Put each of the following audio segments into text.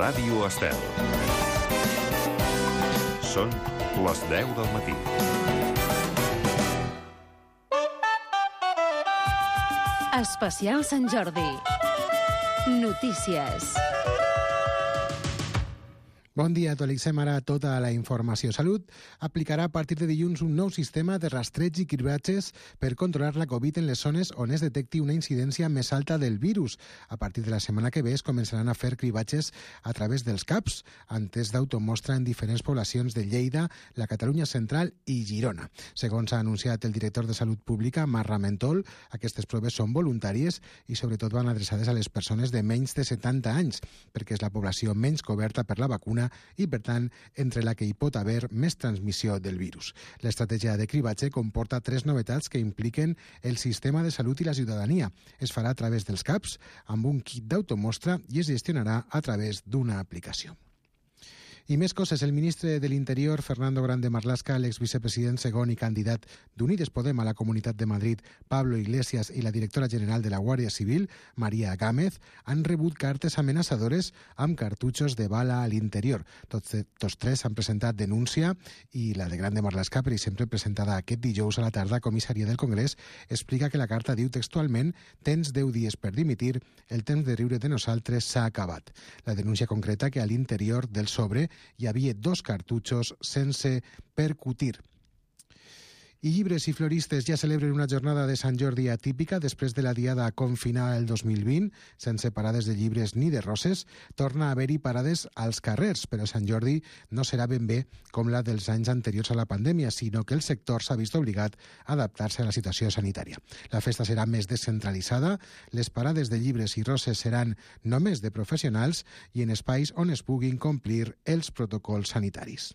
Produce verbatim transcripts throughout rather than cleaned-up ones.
Ràdio Estel. Són les deu del matí. Especial Sant Jordi. Notícies. Bon dia, actualitzem ara tota la informació. Salut aplicarà a partir de dilluns un nou sistema de rastreig i cribatges per controlar la Covid en les zones on es detecti una incidència més alta del virus. A partir de la setmana que ve es començaran a fer cribatges a través dels C A Ps, amb tests d'automostra en diferents poblacions de Lleida, la Catalunya Central i Girona. Segons ha anunciat el director de Salut Pública, Marc Ramentol, aquestes proves són voluntàries i sobretot van adreçades a les persones de menys de setanta anys, perquè és la població menys coberta per la vacuna i, per tant, entre la que hi pot haver més transmissió del virus. L'estratègia de cribatge comporta tres novetats que impliquen el sistema de salut i la ciutadania. Es farà a través dels C A Ps, amb un kit d'automostra i es gestionarà a través d'una aplicació. I més coses. El ministre de l'Interior, Fernando Grande Marlaska, l'exvicepresident segon i candidat d'Unides Podem a la Comunitat de Madrid, Pablo Iglesias, i la directora general de la Guàrdia Civil, María Gámez, han rebut cartes amenaçadores amb cartutxos de bala a l'interior. Tots, tots tres han presentat denúncia i la de Grande Marlaska, per exemple, presentada aquest dijous a la tarda a Comissaria del Congrés, explica que la carta diu textualment: tens deu dies per dimitir, el temps de riure de nosaltres s'ha acabat. La denúncia concreta que a l'interior del sobre hi havia dos cartutxos sense percutir. I llibres i floristes ja celebren una jornada de Sant Jordi atípica després de la diada confinada el dos mil vint, sense parades de llibres ni de roses. Torna a haver-hi parades als carrers, però Sant Jordi no serà ben bé com la dels anys anteriors a la pandèmia, sinó que el sector s'ha vist obligat a adaptar-se a la situació sanitària. La festa serà més descentralitzada, les parades de llibres i roses seran només de professionals i en espais on es puguin complir els protocols sanitaris.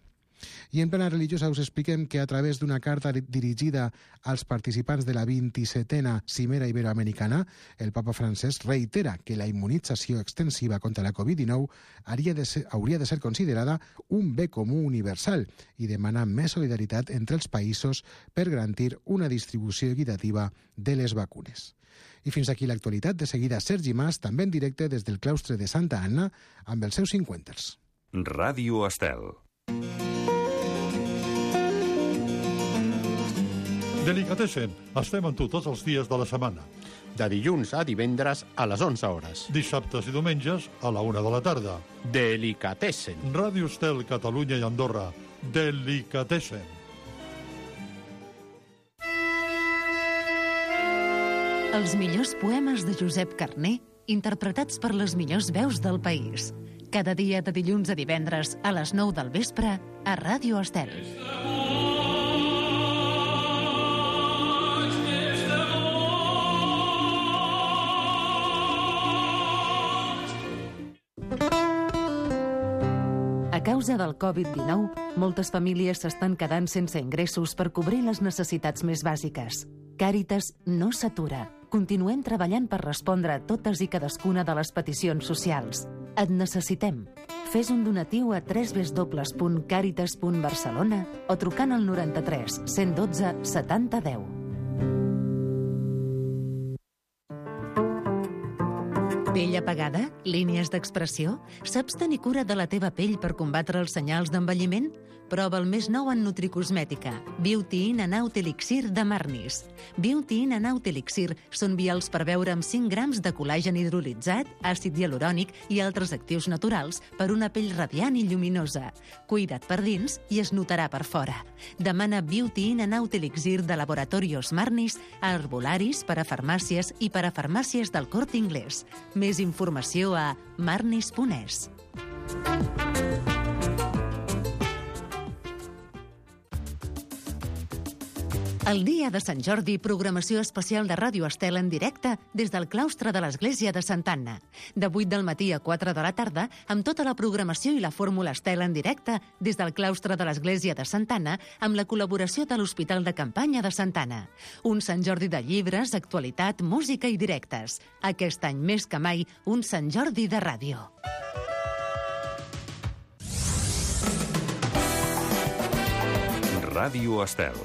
I en plena religiosa us expliquem que a través d'una carta dirigida als participants de la vint-i-setena Cimera Iberoamericana, el papa francès reitera que la immunització extensiva contra la Covid dinou hauria de ser, hauria de ser considerada un bé comú universal i demana més solidaritat entre els països per garantir una distribució equitativa de les vacunes. I fins aquí l'actualitat. De seguida, Sergi Mas, també en directe des del claustre de Santa Anna, amb els seus cinquanters. Ràdio Estel. Delicatessen, estem amb tu tots els dies de la setmana. De dilluns a divendres a les onze hores. Dissabtes i diumenges a la una de la tarda. Delicatessen. Ràdio Estel, Catalunya i Andorra. Delicatessen. Els millors poemes de Josep Carner, interpretats per les millors veus del país. Cada dia de dilluns a divendres a les nou del vespre a Ràdio Estel. A causa del Covid dinou, moltes famílies s'estan quedant sense ingressos per cobrir les necessitats més bàsiques. Càritas no s'atura. Continuem treballant per respondre a totes i cadascuna de les peticions socials. Et necessitem. Fes un donatiu a w w w punt càritas punt barcelona o trucant al noranta-tres cent dotze setanta deu. Pell apagada? Línies d'expressió? Saps tenir cura de la teva pell per combatre els senyals d'envelliment? Prova el més nou en nutricosmètica, Beauty In and Out Elixir de Marnis. Beauty In and Out Elixir són vials per beure amb cinc grams de col·làgen hidrolitzat, àcid hialurònic i altres actius naturals per una pell radiant i lluminosa. Cuida't per dins i es notarà per fora. Demana Beauty In and Out Elixir de Laboratorios Marnis a herbolaris, per a farmàcies i per a farmàcies del Corte Inglés. Més informació a marnis punt es. El dia de Sant Jordi, programació especial de Ràdio Estel en directe des del claustre de l'Església de Santa Anna. De vuit del matí a quatre de la tarda, amb tota la programació i la fórmula Estel en directe des del claustre de l'Església de Santa Anna, amb la col·laboració de l'Hospital de Campanya de Santa Anna. Un Sant Jordi de llibres, actualitat, música i directes. Aquest any més que mai, un Sant Jordi de ràdio. Ràdio Estel.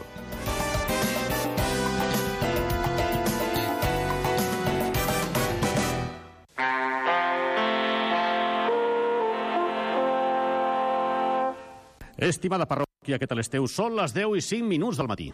Estimada parròquia, què tal esteu? Són les deu i cinc minuts del matí.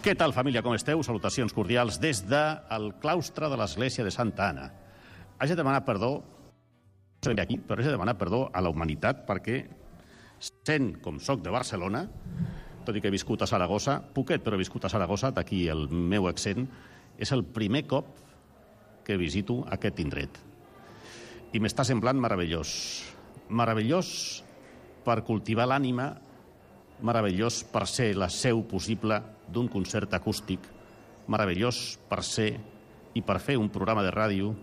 Què tal, família, com esteu? Salutacions cordials des del claustre de l'església de Santa Anna. Haig de demanar perdó, no soc d'aquí, però haig de demanar perdó a la humanitat perquè, sent com soc de Barcelona, tot i que he viscut a Saragossa, poquet, però he viscut a Saragossa, d'aquí el meu accent, és el primer cop que visito aquest indret. I m'està semblant meravellós. Meravellós per cultivar l'ànima, meravellós per ser la seu possible d'un concert acústic, meravellós per ser i per fer un programa de ràdio,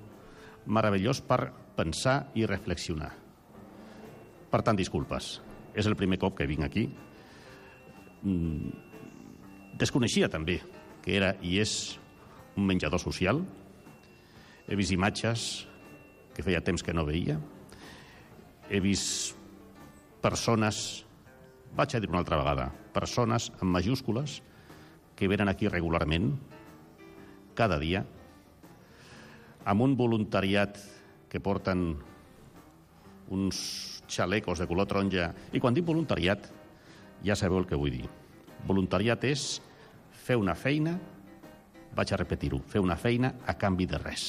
meravellós per pensar i reflexionar. Per tant, disculpes. És el primer cop que vinc aquí. Desconeixia també que era i és un menjador social. He vist imatges que feia temps que no veia. He vist persones, vaig a dir una altra vegada, persones amb majúscules que venen aquí regularment, cada dia, amb un voluntariat que porten uns xalecos de color taronja. I quan dic voluntariat, ja sabeu el que vull dir. Voluntariat és fer una feina, vaig a repetir-ho, fer una feina a canvi de res.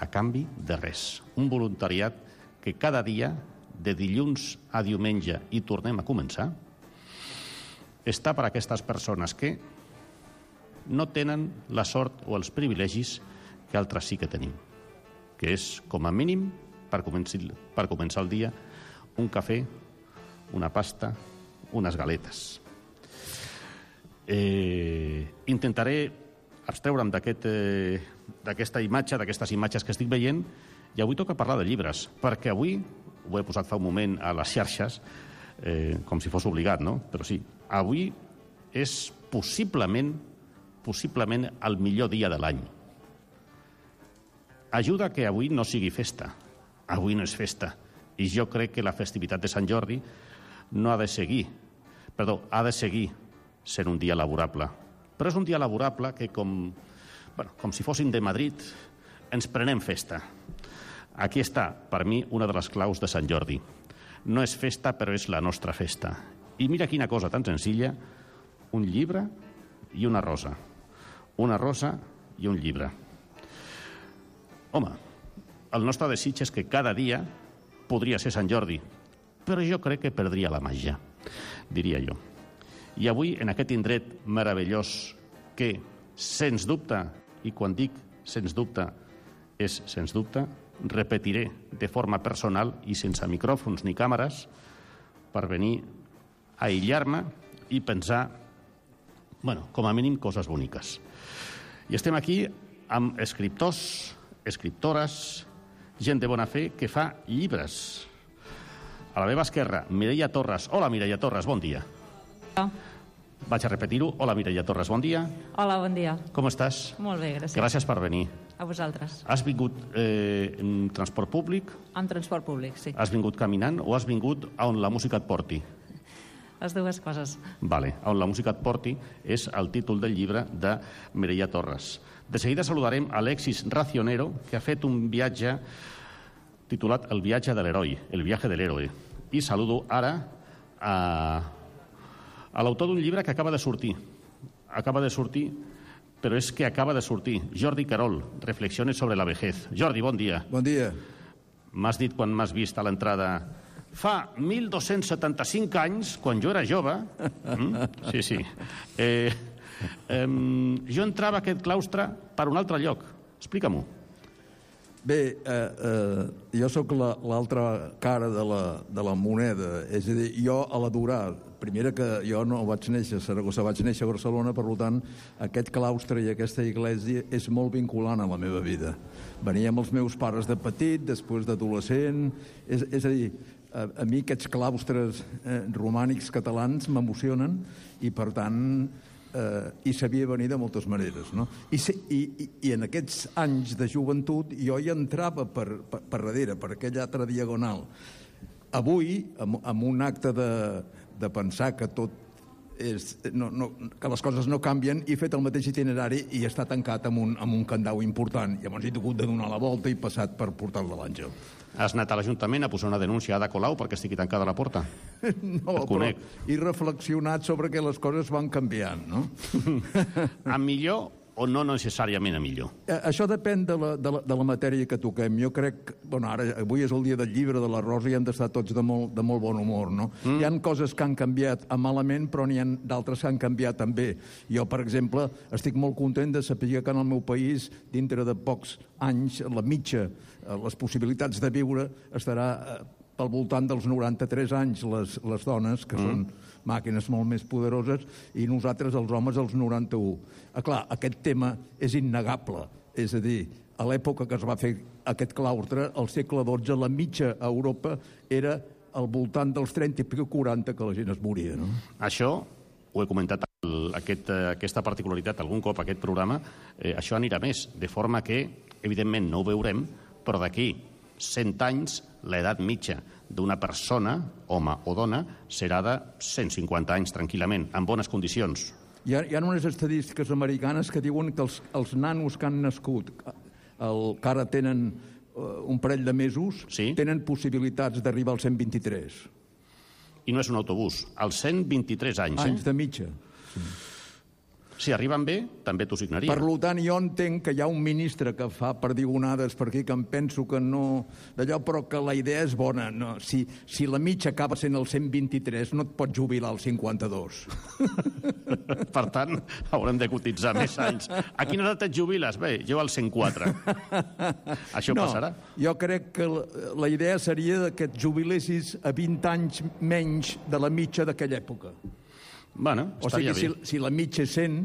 A canvi de res. Un voluntariat que cada dia, de dilluns a diumenge, i tornem a començar, està per a aquestes persones que no tenen la sort o els privilegis que altres sí que tenim, que és, com a mínim, per començar, per començar el dia, un cafè, una pasta, unes galetes. Eh, intentaré abstreure'm d'aquest, eh, d'aquesta imatge, d'aquestes imatges que estic veient, i avui toca parlar de llibres, perquè avui, ho he posat fa un moment a les xarxes, eh, com si fos obligat, no? Però sí, avui és possiblement, possiblement el millor dia de l'any. Ajuda que avui no sigui festa. Avui no és festa. I jo crec que la festivitat de Sant Jordi no ha de seguir, perdó, ha de seguir sent un dia laborable. Però és un dia laborable que, com, bueno, com si fossin de Madrid, ens prenem festa. Aquí està, per mi, una de les claus de Sant Jordi. No és festa, però és la nostra festa. I mira quina cosa tan senzilla, un llibre i una rosa. Una rosa i un llibre. Home, el nostre desig és que cada dia podria ser Sant Jordi, però jo crec que perdria la màgia, diria jo. I avui, en aquest indret meravellós que, sens dubte, i quan dic sens dubte, és sens dubte, repetiré de forma personal i sense micròfons ni càmeres per venir a aïllar-me i pensar, bueno, com a mínim, coses boniques. I estem aquí amb escriptors, escriptores, gent de bona fe que fa llibres. A la meva esquerra, Mireia Torres. Hola, Mireia Torres, bon dia. Hola. Vaig a repetir-ho. Hola, Mireia Torres, bon dia. Hola, bon dia. Com estàs? Molt bé, gràcies. Gràcies per venir. A vosaltres. Has vingut eh, en transport públic? En transport públic, sí. Has vingut caminant o has vingut on la música et porti? Les dues coses. Vale, on la música et porti és el títol del llibre de Mireia Torres. De seguida saludarem Alexis Racionero, que ha fet un viatge titulat El viatge de l'heroi, el viaje de l'héroe. I saludo ara a, a l'autor d'un llibre que acaba de sortir. Acaba de sortir, però és que acaba de sortir. Jordi Querol, Reflexiones sobre la vejez. Jordi, bon dia. Bon dia. M'has dit quan m'has vist a l'entrada... Fa mil dos-cents setanta-cinc anys, quan jo era jove... Mm? Sí, sí. Eh, eh, jo entrava a aquest claustre per un altre lloc. Explica-m'ho. Bé, eh, eh, jo sóc l'altra la, cara de la, de la moneda. És a dir, jo a l'adorar... Primera que jo no vaig néixer a Saragossa, vaig néixer a Barcelona, per tant, aquest claustre i aquesta església és molt vinculant a la meva vida. Venia amb els meus pares de petit, després d'adolescent... És, és a dir, a, a mi aquests claustres eh, romànics catalans m'emocionen i, per tant, eh, i sabia venir de moltes maneres, no? I, i, i en aquests anys de joventut jo hi entrava per, per, per darrere, per aquella altra diagonal. Avui, amb, amb un acte de, de pensar que tot és, no, no, que les coses no canvien, i he fet el mateix itinerari i està tancat amb un, amb un candau important. Llavors he hagut de donar la volta i passat per Portal de l'Àngel. Has anat a l'Ajuntament a posar una denúncia a Ada Colau perquè estigui tancada la porta? No, però he reflexionat sobre que les coses van canviant, no? A millor o no necessàriament a millor? Eh, això depèn de la, de, la, de la matèria que toquem. Jo crec que, bueno, ara, avui és el dia del llibre de la Rosa i hem d'estar tots de molt, de molt bon humor, no? Mm. Hi ha coses que han canviat a malament, però n'hi ha d'altres que han canviat també. Jo, per exemple, estic molt content de saber que en el meu país, dintre de pocs anys, la mitja, les possibilitats de viure estarà pel voltant dels noranta-tres anys, les, les dones, que mm. són màquines molt més poderoses, i nosaltres, els homes, els noranta-u. Ah, clar, aquest tema és innegable. És a dir, a l'època que es va fer aquest claustre, al segle dotze, la mitja a Europa era al voltant dels trenta i quaranta que la gent es moria, no? Això, ho he comentat, el, aquest, aquesta particularitat algun cop, aquest programa, eh, això anirà més, de forma que, evidentment, no ho veurem, però d'aquí cent anys, l'edat mitja d'una persona, home o dona, serà de cent cinquanta anys, tranquil·lament, en bones condicions. Hi ha, hi ha unes estadístiques americanes que diuen que els, els nanos que han nascut, el, que ara tenen uh, un parell de mesos, sí? Tenen possibilitats d'arribar als cent vint-i-tres. I no és un autobús, als cent vint-i-tres anys. Anys eh? de mitja. Sí. Si arriben bé, també t'ho signaria. Per tant, jo entenc que hi ha un ministre que fa perdigonades per aquí, que em penso que no... d'allò, però que la idea és bona. No, si, si la mitja acaba sent el cent vint-i-tres, no et pots jubilar al cinquanta-dos. Per tant, haurem de cotitzar més anys. A quina edat et jubiles? Bé, jo al cent quatre. Això no, passarà? Jo crec que la, la idea seria que et jubilessis a vint anys menys de la mitja d'aquella època. Bueno, o sigui, si, si la mitja és cent,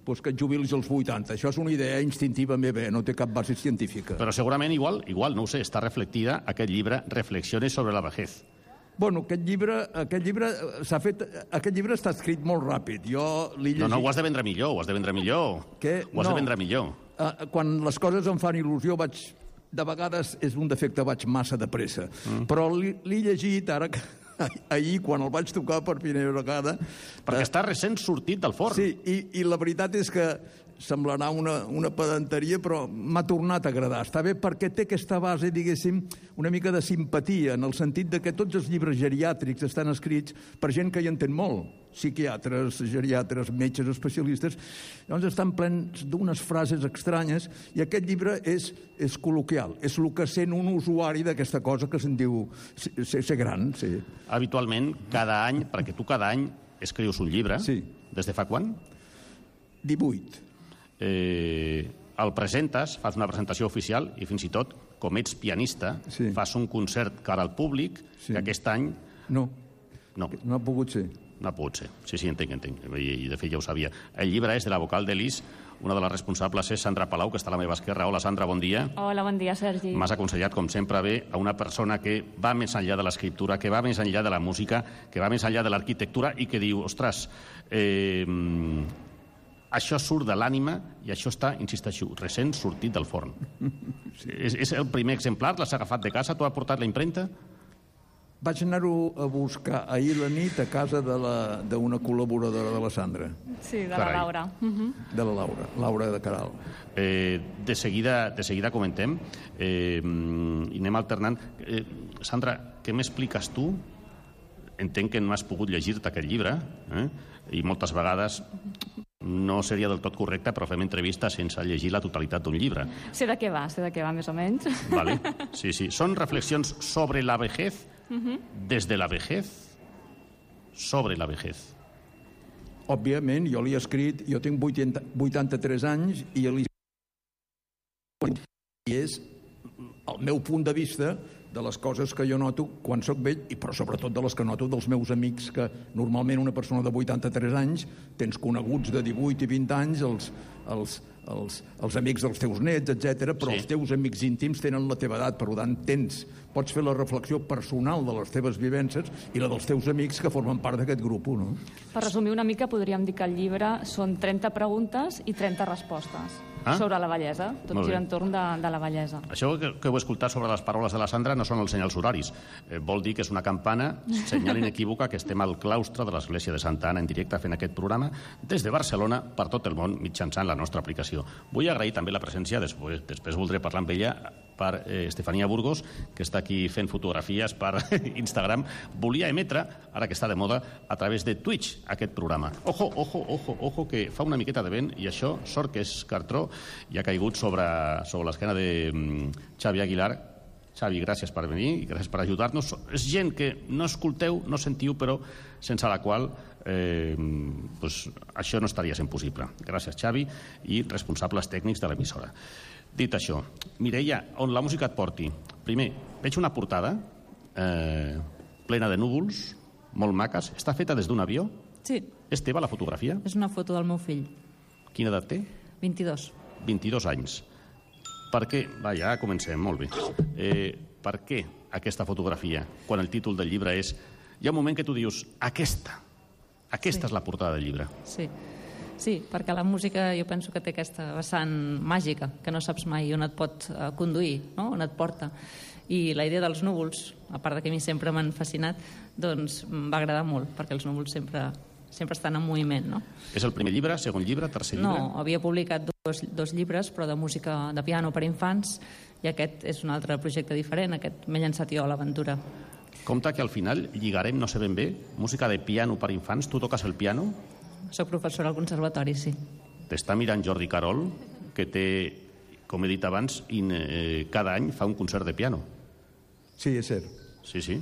doncs que et jubilis als vuitanta. Això és una idea instintiva meva, no té cap base científica. Però segurament igual, igual, no ho sé, està reflectida aquest llibre Reflexiones sobre la vejez. Bueno, aquest llibre, aquest llibre s'ha fet, aquest llibre està escrit molt ràpid. Jo l'he llegit... No, no, ho has de vendre millor, ho has de vendre millor. Què? Ho has no. de vendre millor. Uh, quan les coses em fan il·lusió, vaig... De vegades és un defecte, vaig massa de pressa. Mm. Però l'he llegit ara que... ahir, quan el vaig tocar per primera vegada... Perquè eh, està recent sortit del forn. Sí, i, i la veritat és que semblarà una, una pedanteria, però m'ha tornat a agradar. Està bé perquè té aquesta base, diguéssim, una mica de simpatia, en el sentit de que tots els llibres geriàtrics estan escrits per gent que hi entén molt, psiquiatres, geriatres, metges, especialistes. Llavors estan plens d'unes frases estranyes, i aquest llibre és, és col·loquial, és el que sent un usuari d'aquesta cosa que se'n diu ser, ser gran. Sí. Habitualment, cada any, perquè tu cada any escrius un llibre, sí. Des de fa quan? divuit. Eh, el presentes, fas una presentació oficial i fins i tot, com ets pianista, sí. Fas un concert cara al públic, sí. Que aquest any... No, no, no ha pogut ser. No ha pogut ser. Sí, sí, entenc, entenc. I de fet ja ho sabia. El llibre és de la vocal d'Elis, una de les responsables és Sandra Palau, que està a la meva esquerra. Hola, Sandra, bon dia. Hola, bon dia, Sergi. M'has aconsellat, com sempre, bé a una persona que va més enllà de l'escriptura, que va més enllà de la música, que va més enllà de l'arquitectura i que diu, ostres, eh, això surt de l'ànima i això està, insisteixo, recent sortit del forn. Sí. És, és el primer exemplar? L'has agafat de casa? T'ho ha portat la impremta? Vaig anar-ho a buscar ahir la nit a casa d'una col·laboradora de la Sandra. Sí, de la Laura. Uh-huh. De la Laura, Laura de Caral. Eh, de, seguida, de seguida comentem eh, i anem alternant. Eh, Sandra, què m'expliques tu? Entenc que no has pogut llegir-te aquest llibre, eh? I moltes vegades no seria del tot correcte, però fem entrevistes sense llegir la totalitat d'un llibre. Sé de què va, sé de què va, més o menys. Vale. Sí, sí. Són reflexions sobre la vejez, uh-huh. Des de la vejez, sobre la vejez. Òbviament, jo l'he escrit, jo tinc vuitanta-tres anys, i l'he i és el meu punt de vista de les coses que jo noto quan sóc vell, i però sobretot de les que noto dels meus amics, que normalment una persona de vuitanta-tres anys tens coneguts de divuit i vint anys, els, els, els, els amics dels teus nets, etcètera, però Sí. els teus amics íntims tenen la teva edat, per tant, tens, pots fer la reflexió personal de les teves vivències i la dels teus amics que formen part d'aquest grup, no? Per resumir una mica, podríem dir que el llibre són trenta preguntes i trenta respostes Ah? sobre la bellesa. Tot Molt bé. gira entorn de, de la bellesa. Això que, que heu escoltat sobre les paraules de la Sandra no són els senyals horaris. Eh, vol dir que és una campana, senyal inequívoca, que estem al claustre de l'Església de Santa Anna en directe fent aquest programa des de Barcelona per tot el món mitjançant la nostra aplicació. Vull agrair també la presència, després, després voldré parlar amb ella, per eh, Estefania Burgos, que està aquí fent fotografies per Instagram. Volia emetre, ara que està de moda, a través de Twitch aquest programa. Ojo, ojo, ojo, ojo, que fa una miqueta de vent i això, sort que és cartró, i ha caigut sobre, sobre l'esquena de mm, Xavi Aguilar. Xavi, gràcies per venir i gràcies per ajudar-nos. És gent que no escolteu, no sentiu, però sense la qual eh, pues, això no estaria sent possible. Gràcies, Xavi, i responsables tècnics de l'emissora. Dit això, Mireia, on la música et porti. Primer, veig una portada eh, plena de núvols, molt maques. Està feta des d'un avió? Sí, És teva la fotografia? és una foto del meu fill, Quina edat té? vint-i-dos. vint-i-dos anys. Per què? Va, ja comencem, molt bé. Eh, per què aquesta fotografia, quan el títol del llibre és... Hi ha un moment que tu dius, aquesta, aquesta Sí. és la portada del llibre. Sí. Sí, perquè la música jo penso que té aquesta vessant màgica, que no saps mai on et pot eh, conduir, no? On et porta. I la idea dels núvols, a part de que a mi sempre m'han fascinat, doncs em va agradar molt, perquè els núvols sempre, sempre estan en moviment, no? És el primer llibre, segon llibre, tercer llibre? No, havia publicat dos, dos llibres, però de música de piano per infants, i aquest és un altre projecte diferent, aquest m'he llançat jo a l'aventura. Compte que al final lligarem, no sé ben bé, música de piano per infants. Tu toques el piano? Soc professora al conservatori, sí. T'està mirant Jordi Carol, que té, com he dit abans, in, eh, cada any fa un concert de piano. Sí, és cert. Sí, sí.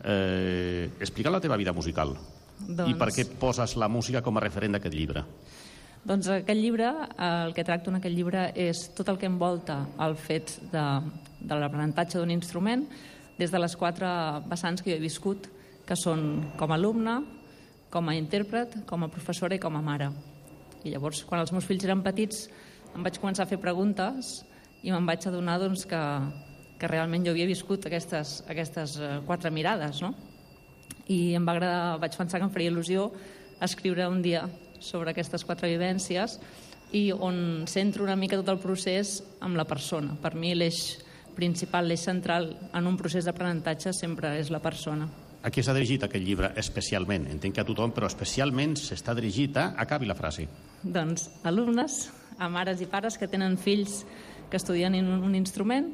Eh, explica la teva vida musical. Doncs... I per què poses la música com a referent d'aquest llibre? Doncs aquest llibre, el que tracto en aquest llibre és tot el que envolta el fet de, de l'aprenentatge d'un instrument des de les quatre vessants que jo he viscut, que són com a alumne, com a intèrpret, com a professora i com a mare. I llavors, quan els meus fills eren petits, em vaig començar a fer preguntes i me'n vaig adonar doncs, que, que realment jo havia viscut aquestes, aquestes quatre mirades, no? I em va agradar, vaig pensar que em faria il·lusió escriure un dia sobre aquestes quatre vivències i on centro una mica tot el procés amb la persona. Per mi l'eix principal, l'eix central en un procés d'aprenentatge sempre és la persona. A qui s'ha dirigit aquest llibre especialment? Entenc que a tothom, però especialment s'està dirigit a... Acabi la frase. Doncs alumnes, a mares i pares que tenen fills que estudien un, un instrument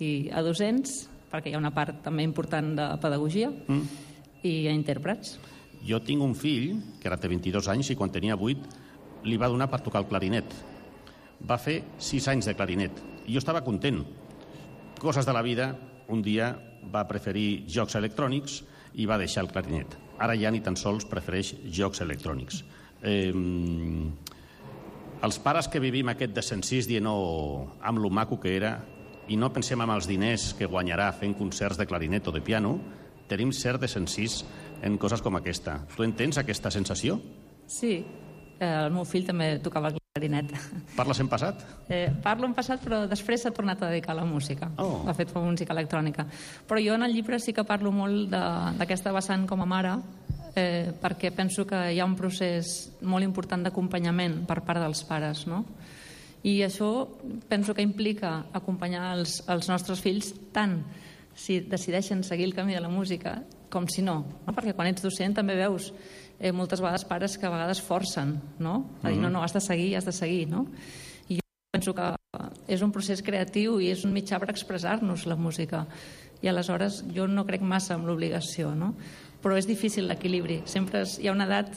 i a docents, perquè hi ha una part també important de pedagogia, mm. i a intèrprets. Jo tinc un fill, que ara té vint-i-dos anys, i quan tenia vuit li va donar per tocar el clarinet. Va fer sis anys de clarinet. I jo estava content. Coses de la vida, un dia va preferir jocs electrònics i va deixar el clarinet. Ara ja ni tan sols prefereix jocs electrònics. Eh, els pares que vivim aquest desencís dient oh, amb lo maco que era i no pensem en els diners que guanyarà fent concerts de clarinet o de piano, tenim cert desencís en coses com aquesta. Tu entens aquesta sensació? Sí, eh, el meu fill també tocava el clarinet. Parles en passat? Eh, parlo en passat, però després s'ha tornat a dedicar a la música. Oh. Ha fet música electrònica. Però jo en el llibre sí que parlo molt d'aquesta vessant com a mare, eh, perquè penso que hi ha un procés molt important d'acompanyament per part dels pares, no? I això penso que implica acompanyar els, els nostres fills tant si decideixen seguir el camí de la música com si no, no? Perquè quan ets docent també veus eh, moltes vegades pares que a vegades forcen, no? A dir, no, no, has de seguir, has de seguir, no? I jo penso que és un procés creatiu i és un mitjà per expressar-nos la música. I aleshores jo no crec massa en l'obligació, no? Però és difícil l'equilibri. Sempre és, hi ha una edat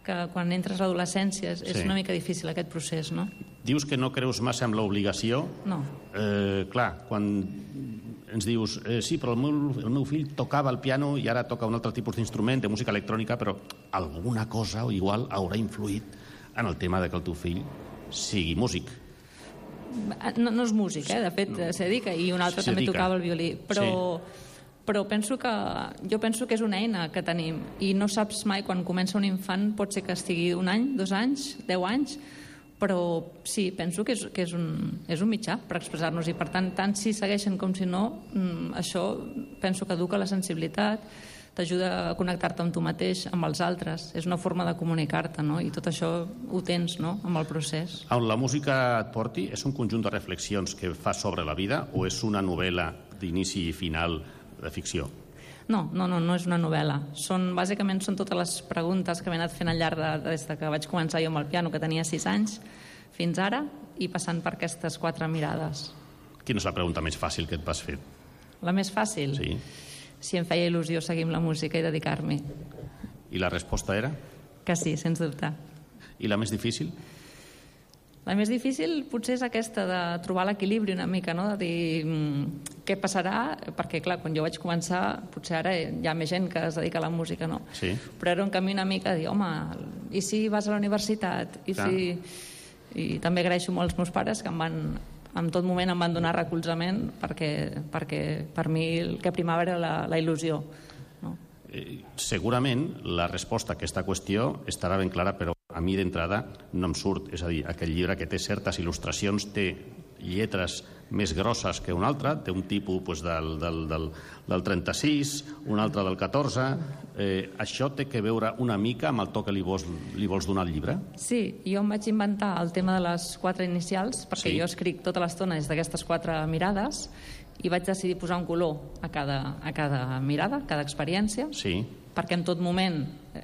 que quan entres a l'adolescència és, és Sí. una mica difícil aquest procés, no? Dius que no creus massa en l'obligació. No. Eh, clar, quan ens dius eh, sí, però el meu, el meu fill tocava el piano i ara toca un altre tipus d'instrument, de música electrònica, però alguna cosa o igual haurà influït en el tema de que el teu fill sigui músic. No, no és músic, eh? De fet, s'hi dedica, i un altre S'hi també dedica. tocava el violí. Però, però penso que, jo penso que és una eina que tenim i no saps mai, quan comença un infant, pot ser que estigui un any, dos anys, deu anys, però sí, penso que és, que és, un, és un mitjà per expressar-nos, i per tant, tant si segueixen com si no, això penso que educa la sensibilitat, t'ajuda a connectar-te amb tu mateix, amb els altres, és una forma de comunicar-te, no? I tot això ho tens, no?, amb el procés. On la música et porti és un conjunt de reflexions que fa sobre la vida o és una novel·la d'inici i final de ficció? No, no, no, no és una novel·la. Són, bàsicament són totes les preguntes que m'he anat fent al llarg de, des de que vaig començar jo amb el piano, que tenia sis anys, fins ara, i passant per aquestes quatre mirades. Quina és la pregunta més fàcil que et vas fer? La més fàcil? Sí. Si em feia il·lusió seguir amb la música i dedicar-m'hi. I la resposta era? Que sí, sens dubte. I la més difícil? La més difícil potser és aquesta de trobar l'equilibri una mica, no? De dir mmm, què passarà, perquè clar, quan jo vaig començar, potser ara hi ha més gent que es dedica a la música, no? Sí. Però era un camí una mica de dir, home, i si vas a la universitat? I, si... I també agraeixo molt als meus pares que em van, en tot moment em van donar recolzament perquè, perquè per mi el que primava era la, la il·lusió. No? Eh, segurament la resposta a aquesta qüestió estarà ben clara, però a mi d'entrada no em surt. És a dir, aquell llibre que té certes il·lustracions té lletres més grosses que un altre, té un tipus pues, del, del, del, del trenta-sis, un altre del catorze. Eh, això té que veure una mica amb el to que li vols, li vols donar al llibre? Sí, jo em vaig inventar el tema de les quatre inicials, perquè sí. jo escric tota l'estona des d'aquestes quatre mirades, i vaig decidir posar un color a cada, a cada mirada, a cada experiència, sí. perquè en tot moment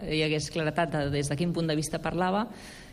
hi hagués claretat de des de quin punt de vista parlava,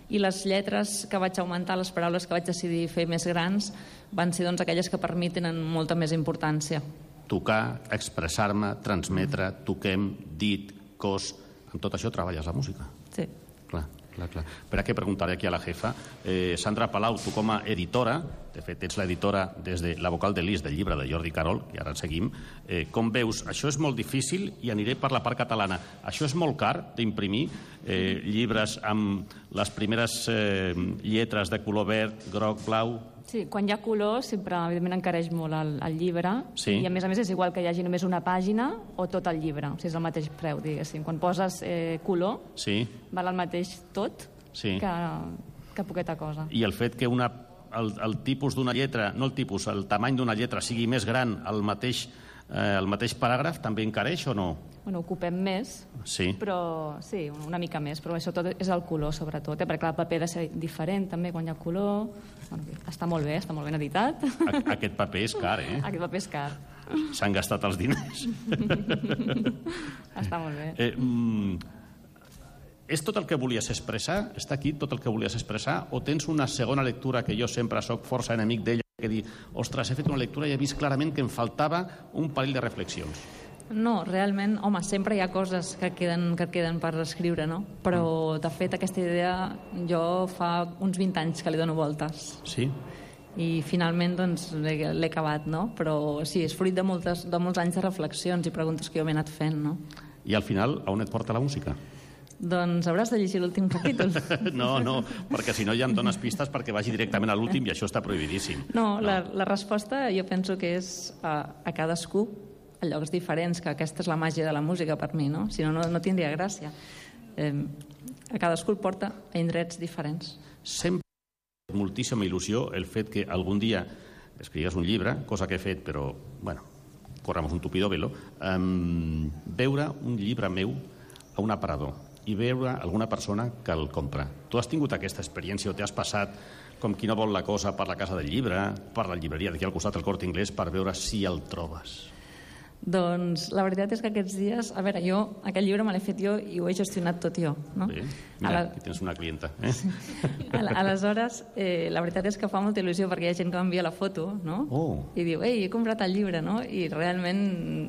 i les lletres que vaig augmentar, les paraules que vaig decidir fer més grans, van ser doncs, aquelles que per mi tenen molta més importància. Tocar, expressar-me, transmetre, toquem, dit, cos... Amb tot això treballes la música? Sí. Clar, clar, clar. Per a què preguntaré aquí a la jefa? Eh, Sandra Palau, tu com a editora, de fet ets l'editora des de La vocal de Lis del llibre de Jordi Carol, que ara seguim, eh, com veus, això és molt difícil i aniré per la part catalana. Això és molt car d'imprimir eh, llibres amb les primeres eh, lletres de color verd, groc, blau... Sí, quan hi ha color sempre, evidentment, encareix molt el, el llibre, sí. I a més a més és igual que hi hagi només una pàgina o tot el llibre, o sigui, és el mateix preu, diguéssim. Quan poses eh, color, sí. val el mateix tot sí. que, que poqueta cosa. I el fet que una, el, el tipus d'una lletra, no el tipus, el tamany d'una lletra sigui més gran al mateix, eh, el mateix paràgraf, també encareix o no? Bueno, ocupem més, sí. però sí, una mica més, però això tot és el color, sobretot, eh? Perquè clar, el paper ha de ser diferent també quan hi ha color. Bueno, està molt bé, està molt ben editat. Aquest paper és car, eh? Aquest paper és car. S'han gastat els diners. Està molt bé. Eh, mm, és tot el que volies expressar? Està aquí tot el que volies expressar? O tens una segona lectura que jo sempre sóc força enemic d'ella, que dir, ostres, he fet una lectura i he vist clarament que em faltava un parell de reflexions? No, realment, home, sempre hi ha coses que queden, que queden per escriure, no? Però, de fet, aquesta idea jo fa uns vint anys que li dono voltes. Sí? I finalment, doncs, l'he acabat, no? Però sí, és fruit de, moltes, de molts anys de reflexions i preguntes que jo m'he anat fent, no? I al final, a on et porta la música? Doncs hauràs de llegir l'últim capítol. No, no, perquè si no ja em dones pistes perquè vagi directament a l'últim i això està prohibidíssim. No, no. La, la resposta jo penso que és a, a cadascú, a llocs diferents, que aquesta és la màgia de la música per mi, no? Si no, no, no tindria gràcia. Eh, a cadascú el porta a indrets diferents. Sempre moltíssima il·lusió el fet que algun dia escrigues un llibre, cosa que he fet, però, bueno, corramos un tupido velo, eh, veure un llibre meu a un aparador i veure alguna persona que el compra. Tu has tingut aquesta experiència o t'has passat com qui no vol la cosa per la casa del llibre, per la llibreria d'aquí al costat del Corte Inglés, per veure si el trobes? Doncs la veritat és que aquests dies... A veure, jo, aquest llibre me l'he fet jo i ho he gestionat tot jo, no? Bé, mira, la... aquí tens una clienta. Eh? Aleshores, eh, la veritat és que fa molta il·lusió perquè hi ha gent que m'envia la foto, no? Oh. I diu, ei, he comprat el llibre, no? I realment,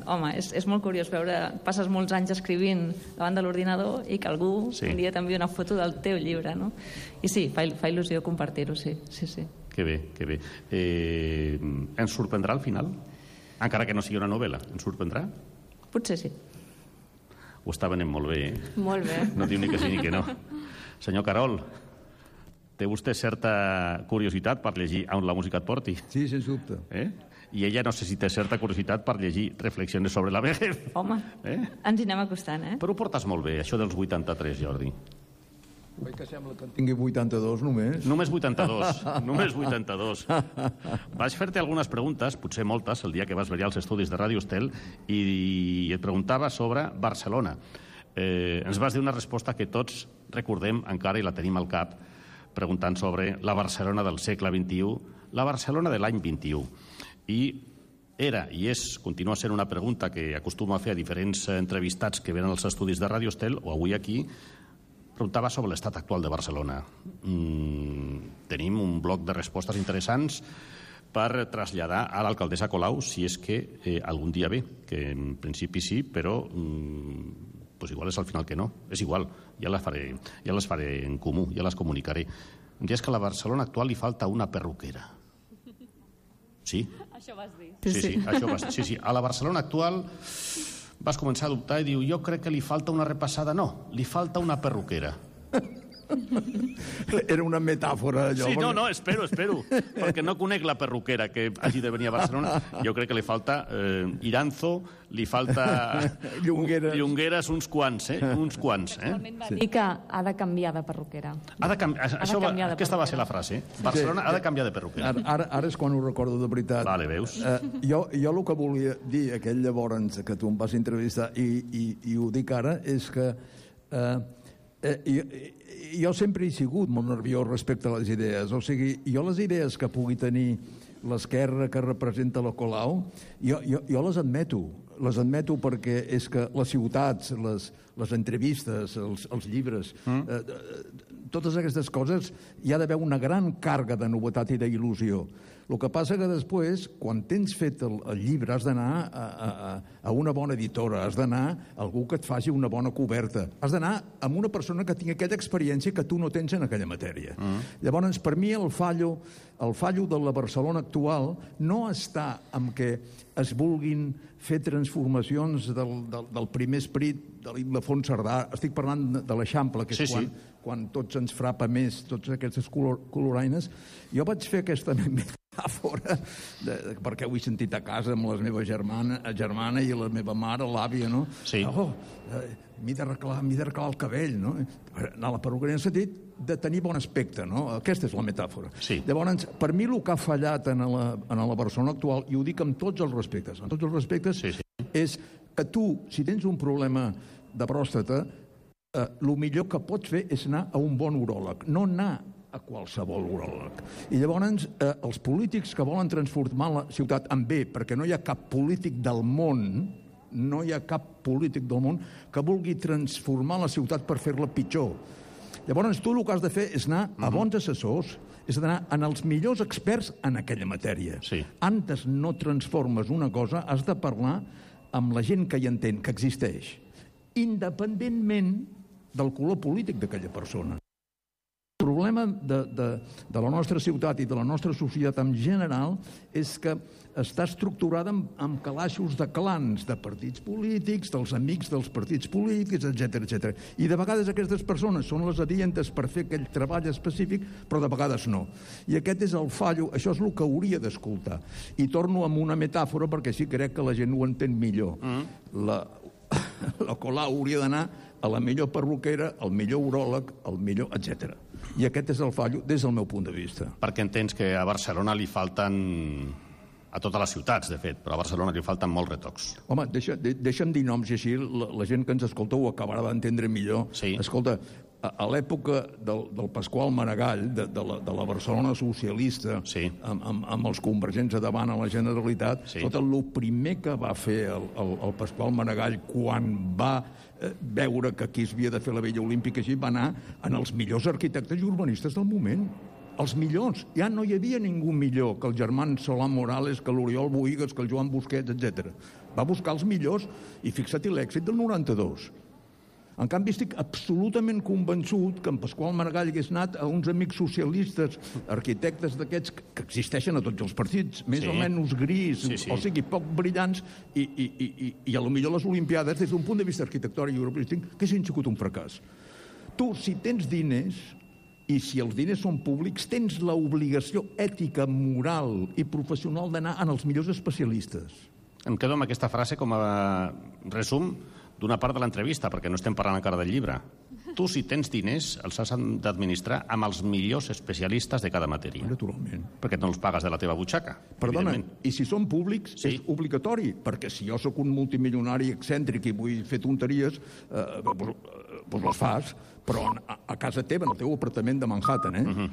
home, és, és molt curiós veure... Passes molts anys escrivint davant de l'ordinador i que algú sí. un dia t'envia una foto del teu llibre, no? I sí, fa, fa il·lusió compartir-ho, sí, sí, sí. Que bé, que bé. Eh, ens sorprendrà al final? Encara que no sigui una novel·la, ens sorprendrà? Potser sí. Ho està venent molt bé, eh? Molt bé. No diu ni que sí ni que no. Senyor Carol, té vostè certa curiositat per llegir On la música et porti? Sí, sens dubte. Eh? I ella no sé si té certa curiositat per llegir Reflexiones sobre la vejez. Home, eh? ens hi anem acostant, eh? Però ho portes molt bé, això dels vuitanta-tres, Jordi. Veig que sembla que en tingui vuitanta-dos només. Només vuitanta-dos, només vuitanta-dos. Vaig fer-te algunes preguntes, potser moltes, el dia que vas venir als estudis de Ràdio Estel, i et preguntava sobre Barcelona. Eh, ens vas dir una resposta que tots recordem encara i la tenim al cap, preguntant sobre la Barcelona del segle vint-i-u, la Barcelona de l'any vint-i-u. I era i és, continua sent una pregunta que acostumo a fer a diferents entrevistats que venen als estudis de Ràdio Estel, o avui aquí, preguntava sobre l'estat actual de Barcelona. Mm, tenim un bloc de respostes interessants per traslladar a l'alcaldessa Colau, si és que eh, algun dia ve, que en principi sí, però mm, pues igual és al final que no. És igual, ja les faré, ja les faré en comú, ja les comunicaré. Em dius que a la Barcelona actual li falta una perruquera. Sí? Això vas dir. Sí, sí, sí, això vas dir. Sí, sí. A la Barcelona actual vas començar a dubtar i diu, jo crec que li falta una repassada. No, li falta una perruquera. Era una metàfora, allò. Sí, no, no, espero, espero, perquè no conec la perruquera que hagi de venir a Barcelona. Jo crec que li falta eh, Iranzo, li falta Llongueres. Llongueres uns quants, eh? Uns quants, eh? Va dir que ha de canviar de perruquera. Ha de canviar, de això va, canviar de aquesta va perruquera. ser la frase. Barcelona Sí. ha de canviar de perruquera. Ara, ara, ara és quan ho recordo de veritat. Vale, veus? Eh, jo, jo el que volia dir aquell llavors que tu em vas entrevistar i, i, i ho dic ara és que eh, eh, jo, jo sempre he sigut molt nerviós respecte a les idees. O sigui, jo les idees que pugui tenir l'esquerra que representa la Colau, jo, jo, jo les admeto. Les admeto perquè és que les ciutats, les, les entrevistes, els, els llibres, mm. eh, totes aquestes coses hi ha d'haver una gran càrrega de novetat i d'il·lusió. El que passa que després, quan tens fet el, el llibre, has d'anar a, a, a una bona editora, has d'anar a algú que et faci una bona coberta, has d'anar amb una persona que tingui aquella experiència que tu no tens en aquella matèria. Mm. Llavors, per mi, el fallo, el fallo de la Barcelona actual no està en què es vulguin fer transformacions del, del, del primer esperit de l'Ildefons Cerdà. Estic parlant de, de l'Eixample, que és sí, quan, sí. quan tots ens frapa més, tots aquestes color, coloraines. Jo vaig fer aquesta metàfora, de, de, perquè ho he sentit a casa amb la meva germana, germana i la meva mare, l'àvia, no? Sí. Oh, eh, m'he d'arreglar el cabell, no? Anar a la perruqueria en el sentit de tenir bon aspecte, no? Aquesta és la metàfora. Sí. Llavors, per mi el que ha fallat en la, en la Barcelona actual, i ho dic amb tots els respectes, amb tots els respectes, Sí, sí. és que tu, si tens un problema de pròstata, eh, el millor que pots fer és anar a un bon uròleg, no anar a qualsevol uròleg. I llavors, eh, els polítics que volen transformar la ciutat en bé, perquè no hi ha cap polític del món, no hi ha cap polític del món que vulgui transformar la ciutat per fer-la pitjor. Llavors, tu el que has de fer és anar a bons assessors, és d'anar en els millors experts en aquella matèria. Sí. Antes no transformes una cosa, has de parlar amb la gent que hi entén, que existeix, independentment del color polític d'aquella persona. El problema de, de, de la nostra ciutat i de la nostra societat en general és que està estructurada amb, amb calaixos de clans, de partits polítics, dels amics dels partits polítics, etcètera, etcètera. I de vegades aquestes persones són les adientes per fer aquell treball específic, però de vegades no. I aquest és el fallo, això és el que hauria d'escoltar. I torno amb una metàfora perquè sí crec que la gent ho entén millor. Mm. La, la Colau hauria d'anar a la millor perruquera, al millor uròleg, al millor, etcètera. I aquest és el fallo des del meu punt de vista. Perquè entens que a Barcelona li falten, a totes les ciutats, de fet, però a Barcelona li falten molts retocs. Home, deixa, de, deixa'm dir noms i així la, la gent que ens escolta ho acabarà d'entendre millor. Sí. Escolta, a, a l'època del, del Pasqual Maragall, de, de, la, de la Barcelona socialista, Sí. amb, amb, amb els convergents a davant a la Generalitat, Sí. tot el primer que va fer el, el, el Pasqual Maragall quan va eh, veure que aquí es havia de fer la Vella Olímpica, així va anar en els millors arquitectes i urbanistes del moment. Els millors. Ja no hi havia ningú millor que el Germán Solà Morales, que l'Oriol Bohigas, que el Joan Busquets, etcètera. Va buscar els millors i fixa't l'èxit del noranta-dos. En canvi, estic absolutament convençut que en Pasqual Maragall hagués anat a uns amics socialistes, arquitectes d'aquests que existeixen a tots els partits, més Sí. o menys gris, Sí, sí. o sigui, poc brillants, i, i, i, i, i a lo millor les Olimpiades, des d'un punt de vista arquitectònic i urbanístic, que hagin sigut un fracàs. Tu, si tens diners, i si els diners són públics, tens l'obligació ètica, moral i professional d'anar en els millors especialistes. Em quedo amb aquesta frase com a resum d'una part de l'entrevista, perquè no estem parlant encara del llibre. tu, si tens diners, els has d'administrar amb els millors especialistes de cada matèria. Naturalment. Perquè no els pagues de la teva butxaca. Perdona, i si són públics, sí, és obligatori, perquè si jo sóc un multimilionari excèntric i vull fer tonteries, eh, doncs, doncs les fas, però a, a casa teva, en el teu apartament de Manhattan, eh? Uh-huh.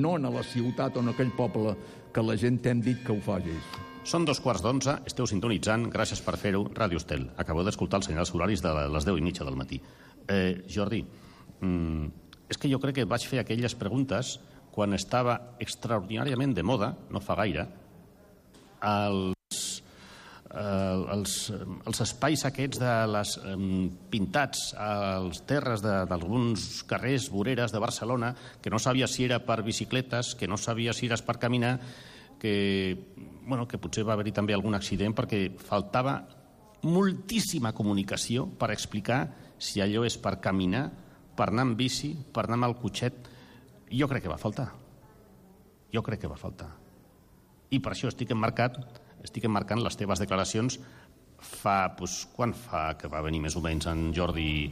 No en la ciutat o en aquell poble que la gent t'hem dit que ho facis. Són dos quarts d'onze, esteu sintonitzant, gràcies per fer-ho, Ràdio Estel. Acabeu d'escoltar els senyals horaris de les deu i mitja del matí. Eh, Jordi, mm, és que jo crec que vaig fer aquelles preguntes quan estava extraordinàriament de moda, no fa gaire, els, eh, els, els espais aquests de les eh, pintats als terres d'alguns carrers, voreres de Barcelona, que no sabia si era per bicicletes, que no sabia si era per caminar, que, bueno, que potser va haver-hi també algun accident perquè faltava moltíssima comunicació per explicar si allò és per caminar, per anar amb bici, per anar amb el cotxet. Jo crec que va faltar. Jo crec que va faltar. I per això estic emmarcat, estic emmarcant les teves declaracions fa, doncs, quan fa que va venir més o menys en Jordi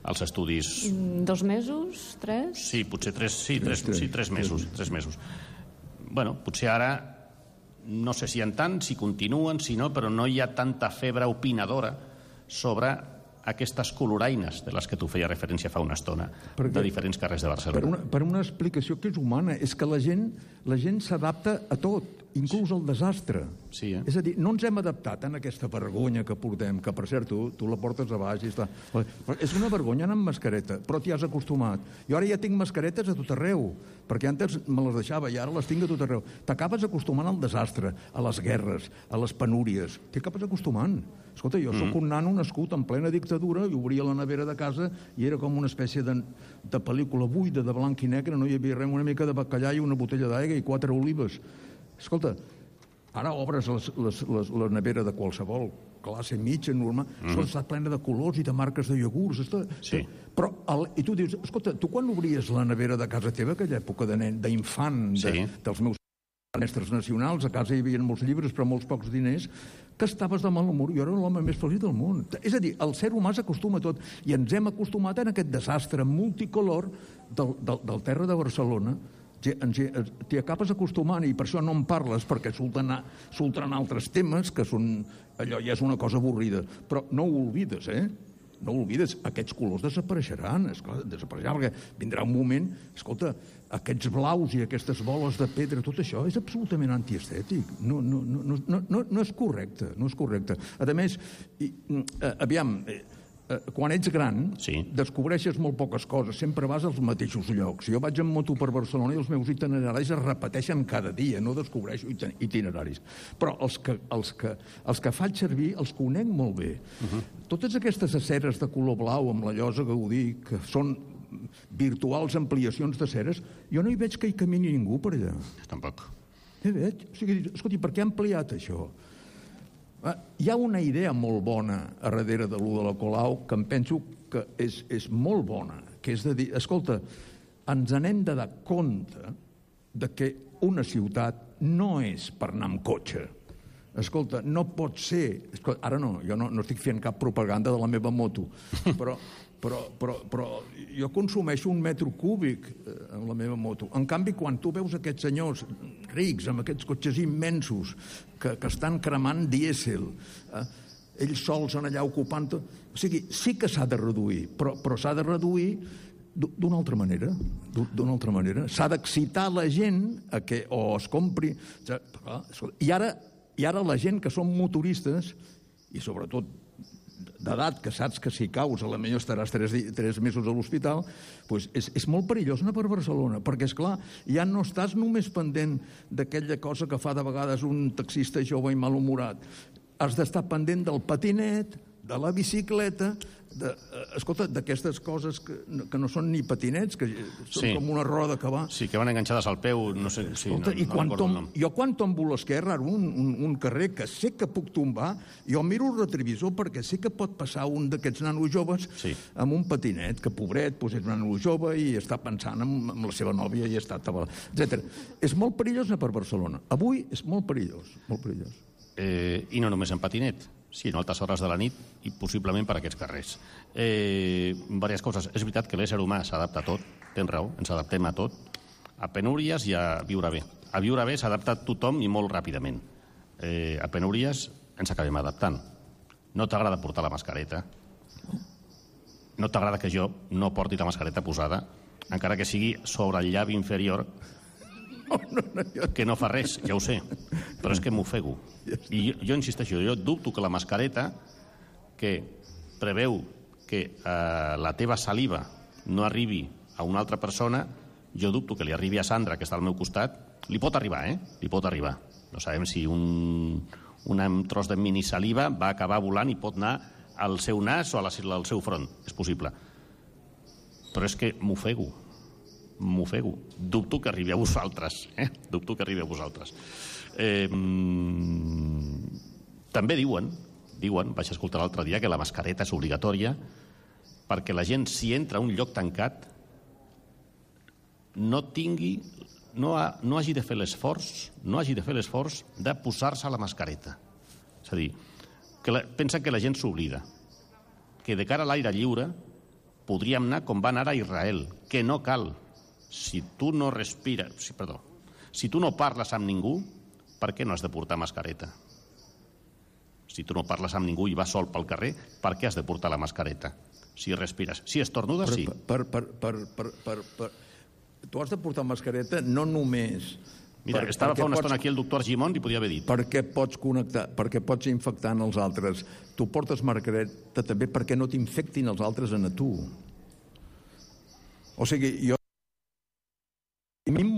als estudis? Dos mesos, tres? Sí, potser tres, sí, tres, sí, tres mesos, tres mesos. Bueno, potser ara no sé si en tant, si continuen, si no, però no hi ha tanta febre opinadora sobre aquestes coloraines de les que tu feia referència fa una estona, perquè, de diferents carrers de Barcelona. Per una, per una explicació que és humana, és que la gent la gent s'adapta a tot, inclús al desastre. Sí, eh? És a dir, no ens hem adaptat a aquesta vergonya que portem, que per cert, tu, tu la portes a baix i està... És una vergonya anar amb mascareta, però t'hi has acostumat. Jo ara ja tinc mascaretes a tot arreu, perquè antes me les deixava i ara les tinc a tot arreu. T'acabes acostumant al desastre, a les guerres, a les penúries. T'hi acabes acostumant. Escolta, jo sóc un nano nascut en plena dictadura i obria la nevera de casa i era com una espècie de, de pel·lícula buida, de blanc i negre, no hi havia res, una mica de bacallà i una botella d'aigua i quatre olives. Escolta, ara obres les, les, les, la nevera de qualsevol classe mitja, normal, mm-hmm. està plena de colors i de marques de iogurts. Està, sí. Però, el, i tu dius, escolta, tu quan obries la nevera de casa teva, aquella època de nen, d'infant, de, sí. dels meus mestres nacionals, a casa hi havia molts llibres però molts pocs diners, que estaves de mal humor. Jo era l'home més feliç del món. És a dir, el ser humà s'acostuma a tot i ens hem acostumat en aquest desastre multicolor del, del, del terra de Barcelona. T'hi acabes acostumant i per això no en parles, perquè s'ultren altres temes que són... allò ja és una cosa avorrida. Però no ho oblides, eh? No ho oblides, aquests colors desapareixeran, esclar, desapareixeran, perquè vindrà un moment, escolta, aquests blaus i aquestes boles de pedra, tot això és absolutament antiestètic. No, no, no, no, no, no és correcte, no és correcte. A més, i, eh, aviam, eh, quan ets gran, sí. descobreixes molt poques coses, sempre vas als mateixos llocs. Jo vaig en moto per Barcelona i els meus itineraris es repeteixen cada dia, no descobreixo itineraris. Però els que, els que, els que faig servir els conec molt bé. Uh-huh. Totes aquestes aceres de color blau amb la llosa Gaudí, que són virtuals ampliacions de ceres, jo no hi veig que hi camini ningú per allà. Tampoc. Hi veig. O sigui, escolti, per què ha ampliat això? Hi ha una idea molt bona a darrere de l'U de la Colau que em penso que és, és molt bona, que és de dir, escolta, ens n'hem de dar compte de que una ciutat no és per anar amb cotxe. Escolta, no pot ser... Escolta, ara no, jo no, no estic fent cap propaganda de la meva moto, però, però, però, però jo consumeixo un metro cúbic en la meva moto. En canvi, quan tu veus aquests senyors rics, amb aquests cotxes immensos, que, que estan cremant dièsel, eh, ells sols en allà ocupant... Tot... O sigui, sí que s'ha de reduir, però, però s'ha de reduir d'una altra manera. D'una altra manera. S'ha d'excitar la gent a que o es compri... I ara... I ara la gent que són motoristes, i sobretot d'edat, que saps que si caus a la millor estaràs tres, tres mesos a l'hospital, doncs és, és molt perillós anar per Barcelona, perquè, esclar, ja no estàs només pendent d'aquella cosa que fa de vegades un taxista jove i malhumorat. Has d'estar pendent del patinet, de la bicicleta, de, escolta, d'aquestes coses que, que no són ni patinets, que són sí. com una roda que va... Sí, que van enganxades al peu, no sé... Sí, escolta, no, i no quan tom, no. jo quan tombo l'esquerra, un, un, un carrer que sé que puc tombar, jo miro el retrovisor perquè sé que pot passar un d'aquests nanos joves sí. amb un patinet, que pobret, doncs és un nano jove i està pensant en, en la seva nòvia i està tabalat, etcètera. És molt perillós anar per Barcelona. Avui és molt perillós, molt perillós. Eh, I no només en patinet, Sí, no altes hores de la nit i possiblement per aquests carrers. Eh, diverses coses. És veritat que l'ésser humà s'adapta a tot, tens raó, ens adaptem a tot, a penúries i a viure bé. A viure bé s'adapta tothom i molt ràpidament. Eh, a penúries ens acabem adaptant. No t'agrada portar la mascareta, no t'agrada que jo no porti la mascareta posada, encara que sigui sobre el llavi inferior, que no fa res, ja ho sé, però és que m'ofego. I jo, jo insisteixo, jo dubto que la mascareta que preveu que eh, la teva saliva no arribi a una altra persona, jo dubto que li arribi a Sandra, que està al meu costat, li pot arribar, eh? Li pot arribar. No sabem si un, un tros de minisaliva va acabar volant i pot anar al seu nas o a la, al seu front. És possible. Però és que m'ofego. M'ofego. Dubto que arribi a vosaltres. Eh? Dubto que arribi a vosaltres. Eh, mm, també diuen, diuen, vaig escoltar l'altre dia, que la mascareta és obligatòria perquè la gent, si entra a un lloc tancat, no tingui, no, ha, no hagi de fer l'esforç, no hagi de fer l'esforç de posar-se la mascareta. És a dir, que la, pensen que la gent s'oblida, que de cara a l'aire lliure podríem anar com van anar a Israel, que no cal. Si tu no respires, si, perdó, si tu no parles amb ningú, per què no has de portar mascareta? Si tu no parles amb ningú i vas sol pel carrer, per què has de portar la mascareta? Si respires. Si estornudes, sí. Per, per, per, per, per, per... Tu has de portar mascareta no només... Mira, per, estava fa una pots... estona aquí el doctor Gimón i podia haver dit. Perquè pots connectar, perquè pots infectar en els altres. Tu portes mascareta també perquè no t'infectin els altres en a tu. O sigui, jo... A mi em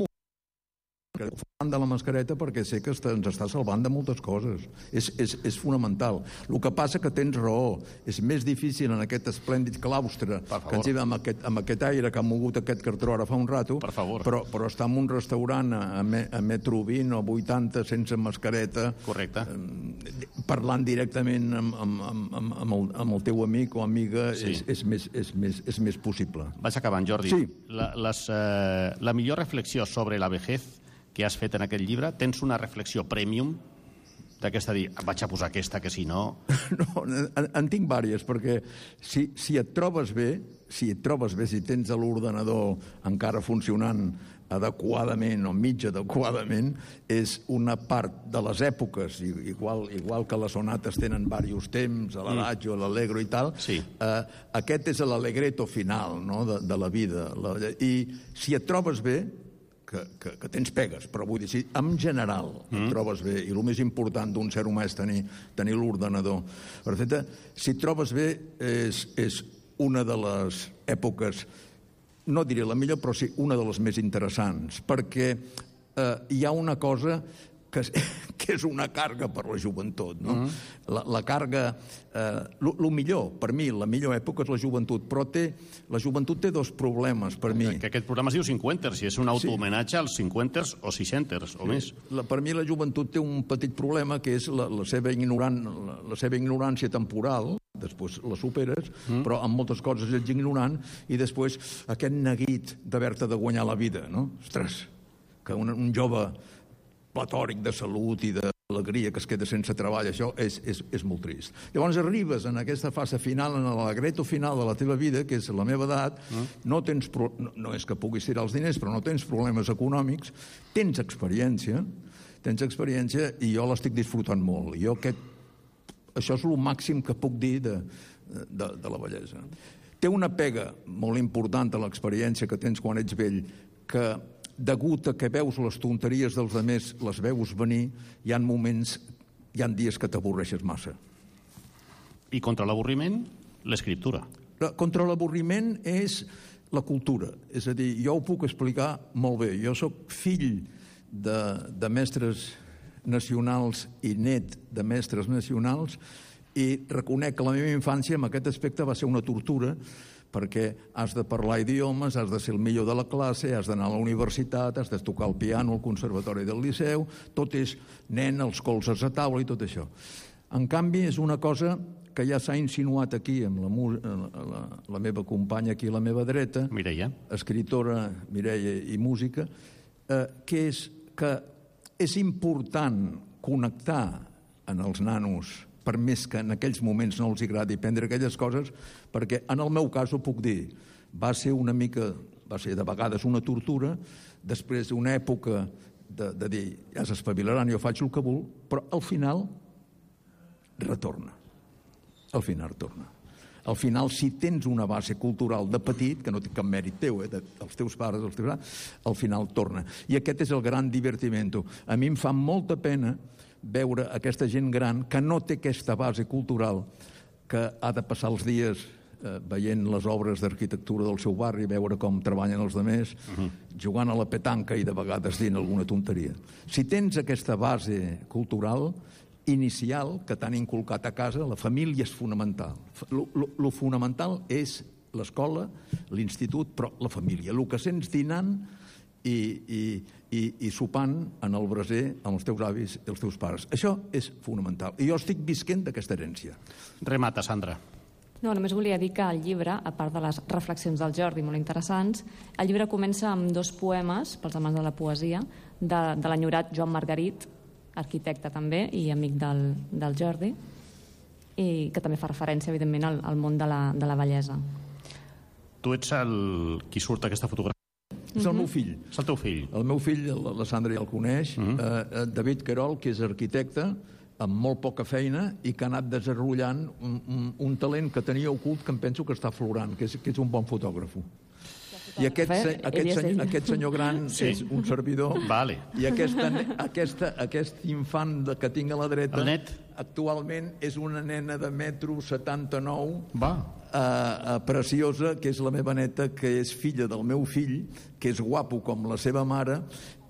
de la mascareta perquè sé que ens està salvant de moltes coses. És, és, és fonamental. El que passa que tens raó. És més difícil en aquest esplèndid claustre que ens hi va amb aquest, amb aquest aire que ha mogut aquest cartró ara fa un rato, per favor. Però, però està en un restaurant a, a metro vint o vuitanta sense mascareta. Correcte. Eh, parlant directament amb, amb, amb, amb, el, amb el teu amic o amiga, sí. és, és, més, és, més, és més possible. Vaig acabant, Jordi. Sí. La, les, eh, la millor reflexió sobre la vejez que has fet en aquest llibre, tens una reflexió premium d'aquesta dir, vaig a posar aquesta, que si no... No, en, en tinc vàries, perquè si, si et trobes bé, si et trobes bé, si tens l'ordenador encara funcionant adequadament o mig adequadament, és una part de les èpoques, igual, igual que les sonates tenen diversos temps, l'adagio, mm. l'allegro i tal, sí. eh, aquest és l'allegretto final, no?, de, de la vida. La, I si et trobes bé, Que, que, que tens pegues, però vull dir, si en general mm. et trobes bé, i el més important d'un ser humà és tenir, tenir l'ordenador perfecte, si et trobes bé és, és una de les èpoques, no diré la millor, però sí una de les més interessants, perquè eh, hi ha una cosa que és, que és una càrrega per la joventut, no? Mm. La, la càrrega, eh, lo, lo millor, per mi, la millor època és la joventut, però té, la joventut té dos problemes, per mi. Que aquest programa es diu cinquanters, i és un autohomenatge als cinquanters o seixanters, o sí. més. La, per mi la joventut té un petit problema, que és la, la, seva, ignoran, la, la seva ignorància temporal, després la superes, mm. però en moltes coses ets ignorant, i després aquest neguit d'haver-te de guanyar la vida, no? Ostres, que un, un jove platòric de salut i d'alegria que es queda sense treball, això és, és, és molt trist. Llavors arribes en aquesta fase final, en l'allegretto final de la teva vida, que és la meva edat, mm. no tens pro... no, no és que puguis tirar els diners, però no tens problemes econòmics, tens experiència, tens experiència i jo l'estic disfrutant molt. Jo aquest... Això és el màxim que puc dir de, de, de la bellesa. Té una pega molt important a l'experiència que tens quan ets vell, que degut a que veus les tonteries dels altres, les veus venir, hi ha moments, hi ha dies que t'avorreixes massa. I contra l'avorriment, l'escriptura. Contra l'avorriment és la cultura. És a dir, jo ho puc explicar molt bé. Jo sóc fill de, de mestres nacionals i net de mestres nacionals i reconec que la meva infància en aquest aspecte va ser una tortura, perquè has de parlar idiomes, has de ser el millor de la classe, has d'anar a la universitat, has de tocar el piano al conservatori del Liceu, tot és nen, els colzes a taula i tot això. En canvi, és una cosa que ja s'ha insinuat aquí amb la, la, la meva companya aquí a la meva dreta, Mireia, escriptora Mireia i música, eh, que és que és important connectar en els nanos per més que en aquells moments no els agradi prendre aquelles coses, perquè en el meu cas ho puc dir, va ser una mica, va ser de vegades una tortura, després d'una època de, de dir, ja s'espavilaran, jo faig el que vull, però al final retorna. Al final retorna. Al final, si tens una base cultural de petit, que no té cap mèrit teu, eh, dels teus pares, dels teus pares, al final torna. I aquest és el gran divertiment. A mi em fa molta pena veure aquesta gent gran que no té aquesta base cultural, que ha de passar els dies eh, veient les obres d'arquitectura del seu barri, veure com treballen els altres, uh-huh. jugant a la petanca i de vegades dient alguna tonteria. Si tens aquesta base cultural inicial que t'han inculcat a casa, la família és fonamental. Lo, lo, lo fonamental és l'escola, l'institut, però la família. El que sents dinant i, i, i, i sopant en el braser amb els teus avis i els teus pares. Això és fonamental. I jo estic visquent d'aquesta herència. Remata, Sandra. No, només volia dir que el llibre, a part de les reflexions del Jordi, molt interessants, el llibre comença amb dos poemes, pels amants de la poesia, de, de l'enyorat Joan Margarit, arquitecte també i amic del, del Jordi, i que també fa referència, evidentment, al, al món de la, de la bellesa. Tu ets el... qui surt aquesta fotografia? És el meu fill. És el teu fill. El meu fill, la Sandra ja el coneix, uh -huh. eh, David Querol, que és arquitecte, amb molt poca feina i que ha anat desenvolupant un, un, un talent que tenia ocult que em penso que està aflorant, que és, que és un bon fotògrafo. I aquest, se, aquest, senyor, aquest senyor gran sí. és un servidor vale. I aquesta, aquesta, aquest infant de, que tinc a la dreta net. Actualment és una nena de metro setanta-nou Va. Uh, uh, preciosa, que és la meva neta, que és filla del meu fill, que és guapo com la seva mare,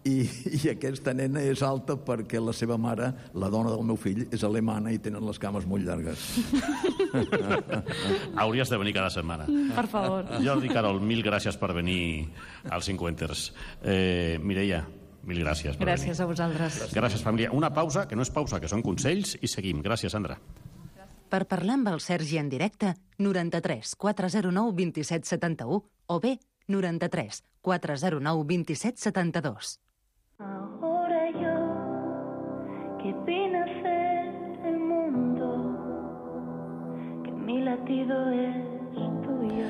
i, i aquesta nena és alta perquè la seva mare, la dona del meu fill, és alemana i tenen les cames molt llargues. Hauries de venir cada setmana. Per favor. Jordi Querol, mil gràcies per venir als Cinquanters. Eh, Mireia, mil gràcies per gràcies venir. a vosaltres. Gràcies, família. Una pausa, que no és pausa, que són consells, i seguim. Gràcies, Sandra. Per parlar amb el Sergi en directe, noranta-tres quatre zero nou vint set setanta-u o bé noranta-tres quatre zero nou vint set setanta-dos. Ahora yo, que vine a ser el mundo, que mi latido es tuyo.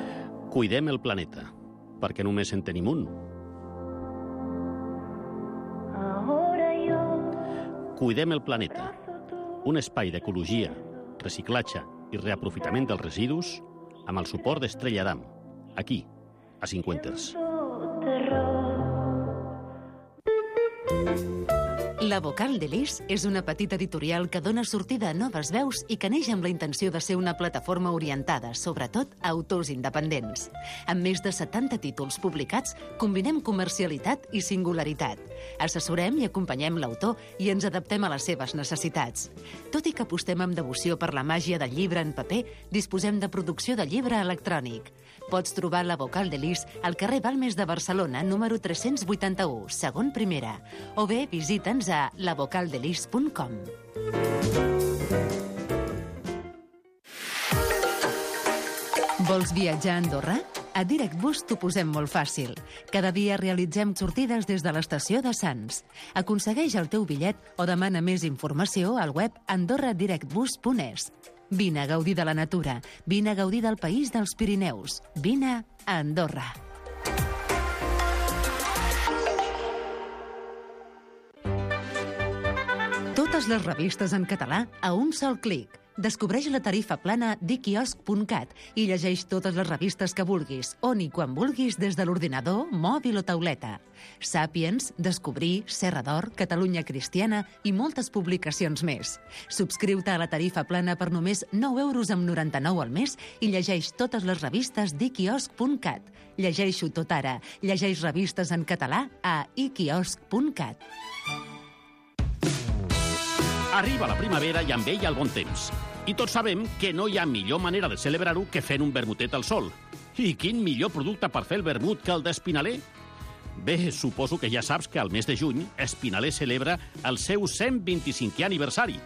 Cuidem el planeta, perquè només en tenim un. Ahora yo, Cuidem el planeta, un espai d'ecologia, reciclatge i reaprofitament dels residus amb el suport d'Estrella Damm, aquí, a Cinquanters. La Vocal de l'Is és una petita editorial que dona sortida a noves veus i que neix amb la intenció de ser una plataforma orientada, sobretot, a autors independents. Amb més de setanta títols publicats, combinem comercialitat i singularitat. Assessorem i acompanyem l'autor i ens adaptem a les seves necessitats. Tot i que apostem amb devoció per la màgia del llibre en paper, disposem de producció de llibre electrònic. Pots trobar La Vocal de l'Is al carrer Balmes de Barcelona, número tres-cents vuitanta-u, segon primera, o bé visita'ns a la vocal de lis punt com. Vols viatjar a Andorra? A DirectBus t'ho posem molt fàcil. Cada dia realitzem sortides des de l'estació de Sants. Aconsegueix el teu bitllet o demana més informació al web andorra direct bus punt es. Vine a gaudir de la natura, vine a gaudir del país dels Pirineus, vine a Andorra. Totes les revistes en català a un sol clic. Descobreix la tarifa plana d'iquiosc punt cat i llegeix totes les revistes que vulguis, on i quan vulguis des de l'ordinador, mòbil o tauleta. Sàpiens, Descobrir, Serra d'Or, Catalunya Cristiana i moltes publicacions més. Subscriu-te a la tarifa plana per només nou euros amb noranta-nou al mes i llegeix totes les revistes d'iquiosc punt cat. Llegeixo tot ara. Llegeix revistes en català a iquiosc punt cat. Arriba la primavera i amb ella el bon temps. I tots sabem que no hi ha millor manera de celebrar-ho que fent un vermutet al sol. I quin millor producte per fer el vermut que el d'Espinaler? Bé, suposo que ja saps que al mes de juny Espinaler celebra el seu cent vint-i-cinquè aniversari.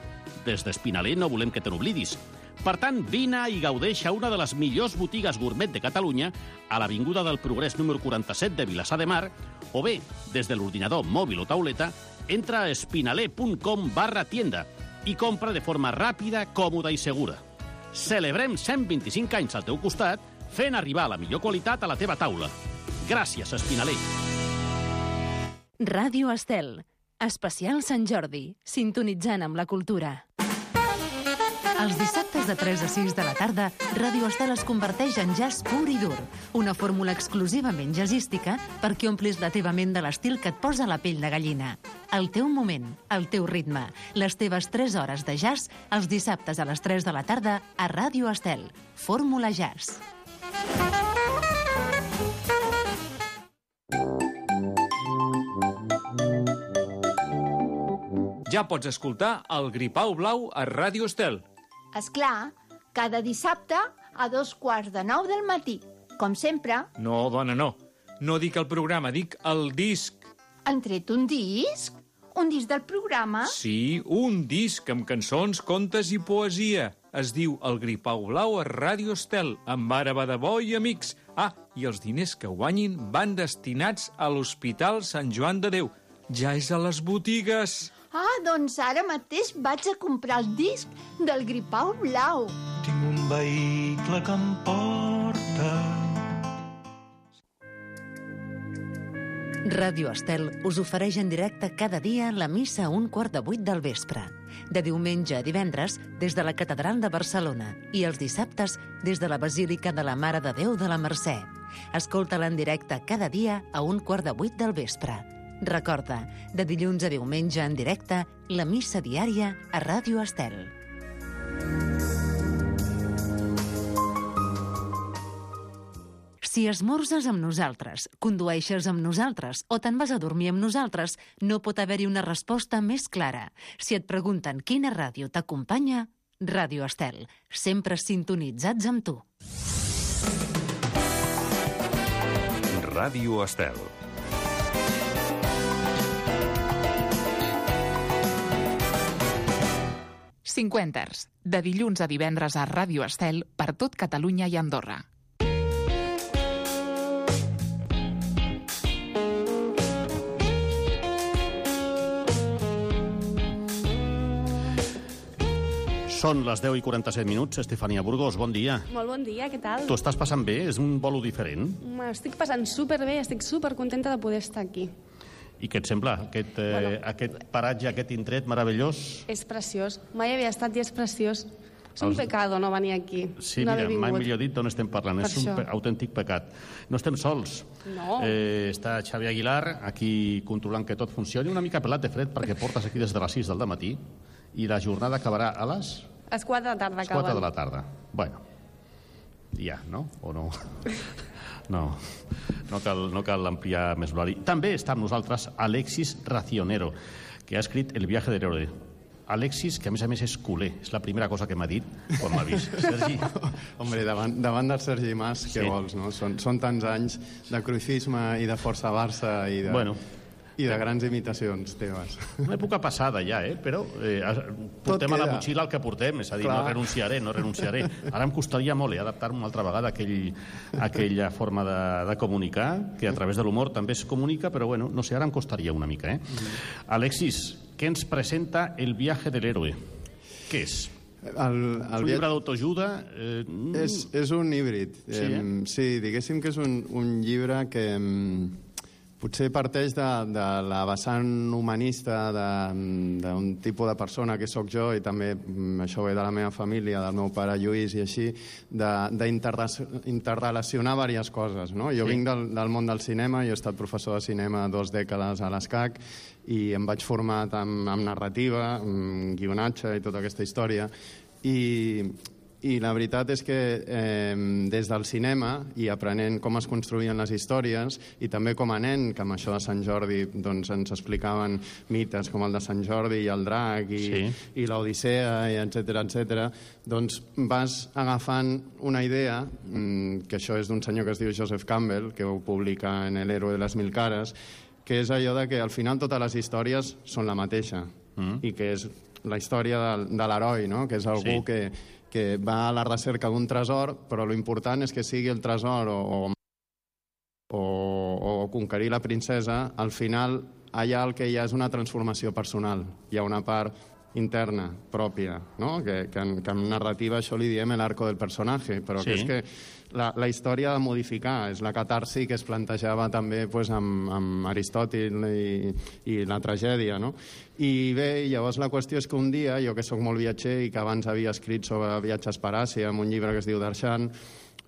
Des d'Espinaler no volem que te n'oblidis. Per tant, vine i gaudeix a una de les millors botigues gourmet de Catalunya, a l'Avinguda del Progrés número quaranta-set de Vilassar de Mar, o bé, des de l'ordinador mòbil o tauleta, entra a espinaler punt com barra tienda i compra de forma ràpida, còmoda i segura. Celebrem cent vint-i-cinc anys al teu costat, fent arribar la millor qualitat a la teva taula. Gràcies, Espinaler. Ràdio Estel. Especial Sant Jordi. Sintonitzant amb la cultura. Els dissabtes de tres a sis de la tarda, Ràdio Estel es converteix en jazz pur i dur. Una fórmula exclusivament jazzística perquè omplis la teva ment de l'estil que et posa la pell de gallina. El teu moment, el teu ritme, les teves tres hores de jazz, els dissabtes a les tres de la tarda a Ràdio Estel. Fórmula Jazz. Ja pots escoltar el Gripau Blau a Ràdio Estel. Esclar, cada dissabte a dos quarts de nou del matí. Com sempre. No, dona, no. No dic el programa, dic el disc. Han tret un disc? Un disc del programa? Sí, un disc amb cançons, contes i poesia. Es diu El Gripau Blau a Ràdio Estel, amb Ara va de bo i amics. Ah, i els diners que guanyin van destinats a l'Hospital Sant Joan de Déu. Ja és a les botigues. Ah, doncs ara mateix vaig a comprar el disc del Gripau Blau. Tinc un vehicle que em porta. Ràdio Estel us ofereix en directe cada dia la missa a un quart de vuit del vespre. De diumenge a divendres des de la Catedral de Barcelona i els dissabtes des de la Basílica de la Mare de Déu de la Mercè. Escolta-la en directe cada dia a un quart de vuit del vespre. Recorda, de dilluns a diumenge en directe, la missa diària a Ràdio Estel. Si esmorzes amb nosaltres, condueixes amb nosaltres o te'n vas a dormir amb nosaltres, no pot haver-hi una resposta més clara. Si et pregunten quina ràdio t'acompanya, Ràdio Estel, sempre sintonitzats amb tu. Ràdio Estel. Cinquenters, de dilluns a divendres a Ràdio Estel per tot Catalunya i Andorra. Són les deu i quaranta-set minuts. Estefania Burgos, bon dia. Molt bon dia, què tal? Tu estàs passant bé? És un bolo diferent? M'estic passant superbé, estic supercontenta de poder estar aquí. I què et sembla, aquest, eh, bueno, aquest paratge, aquest indret meravellós? És preciós. Mai havia estat i és preciós. És un Els... pecado no venir aquí. Sí, no mira, mai millor dit d'on estem parlant. Per és això. Un pe autèntic pecat. No estem sols. No. Eh, està Xavi Aguilar aquí controlant que tot funcioni. Una mica pelat de fred perquè portes aquí des de les sis del dematí i la jornada acabarà a les... A les quatre de la tarda acaben. quatre de la tarda. Bueno, ja, no? O no? No, no cal, no cal ampliar més l'horari. També està amb nosaltres Alexis Racionero, que ha escrit El viaje del héroe. Alexis, que a més a més és culer, és la primera cosa que m'ha dit quan m'ha vist. Sergi? Hombre, davant, davant del Sergi Mas, què sí. vols, no? Són, són tants anys de cruifisme i de força Barça i de... Bueno. I de grans imitacions teves. Una època passada ja, eh? Però eh, portem a la motxilla el que portem, és a dir, Clar. no renunciaré, no renunciaré. Ara em costaria molt eh, adaptar-me una altra vegada a, aquell, a aquella forma de, de comunicar, que a través de l'humor també es comunica, però bueno, no sé, ara em costaria una mica, eh? Mm. Alexis, què ens presenta El viaje del héroe? Què és? El, el és un llibre d'autoajuda? Eh... És, és un híbrid. Sí, eh? eh? Sí, diguéssim que és un, un llibre que... Potser parteix de, de la vessant humanista d'un tipus de persona que sóc jo, i també això ve de la meva família, del meu pare Lluís i així, d'interrelacionar diverses coses. No? Jo sí. vinc del, del món del cinema, jo he estat professor de cinema dues dècades a l'ESCAC i em vaig formar amb, amb narrativa, amb guionatge i tota aquesta història. I... I la veritat és que eh, des del cinema, i aprenent com es construïen les històries, i també com a nen, que amb això de Sant Jordi doncs, ens explicaven mites com el de Sant Jordi i el drac i, sí. i l'Odissea, i etcètera, etcètera, doncs vas agafant una idea, que això és d'un senyor que es diu Joseph Campbell, que ho publica en El héroe de les mil cares, que és allò de que al final totes les històries són la mateixa, mm. i que és la història de, de l'heroi, no? Que és algú sí. que que va a la recerca d'un tresor, però l'important és que sigui el tresor o, o, o conquerir la princesa, al final allà el que hi ha és una transformació personal. Hi ha una part interna, pròpia, no? que, que, en, que en narrativa això li diem l'arco del personatge, però Sí. que és que la, la història ha de modificar, és la catarsi que es plantejava també pues, amb, amb Aristòtil i, i la tragèdia, no? I bé, llavors la qüestió és que un dia, jo que sóc molt viatger i que abans havia escrit sobre viatges per Àsia, amb un llibre que es diu Darshan,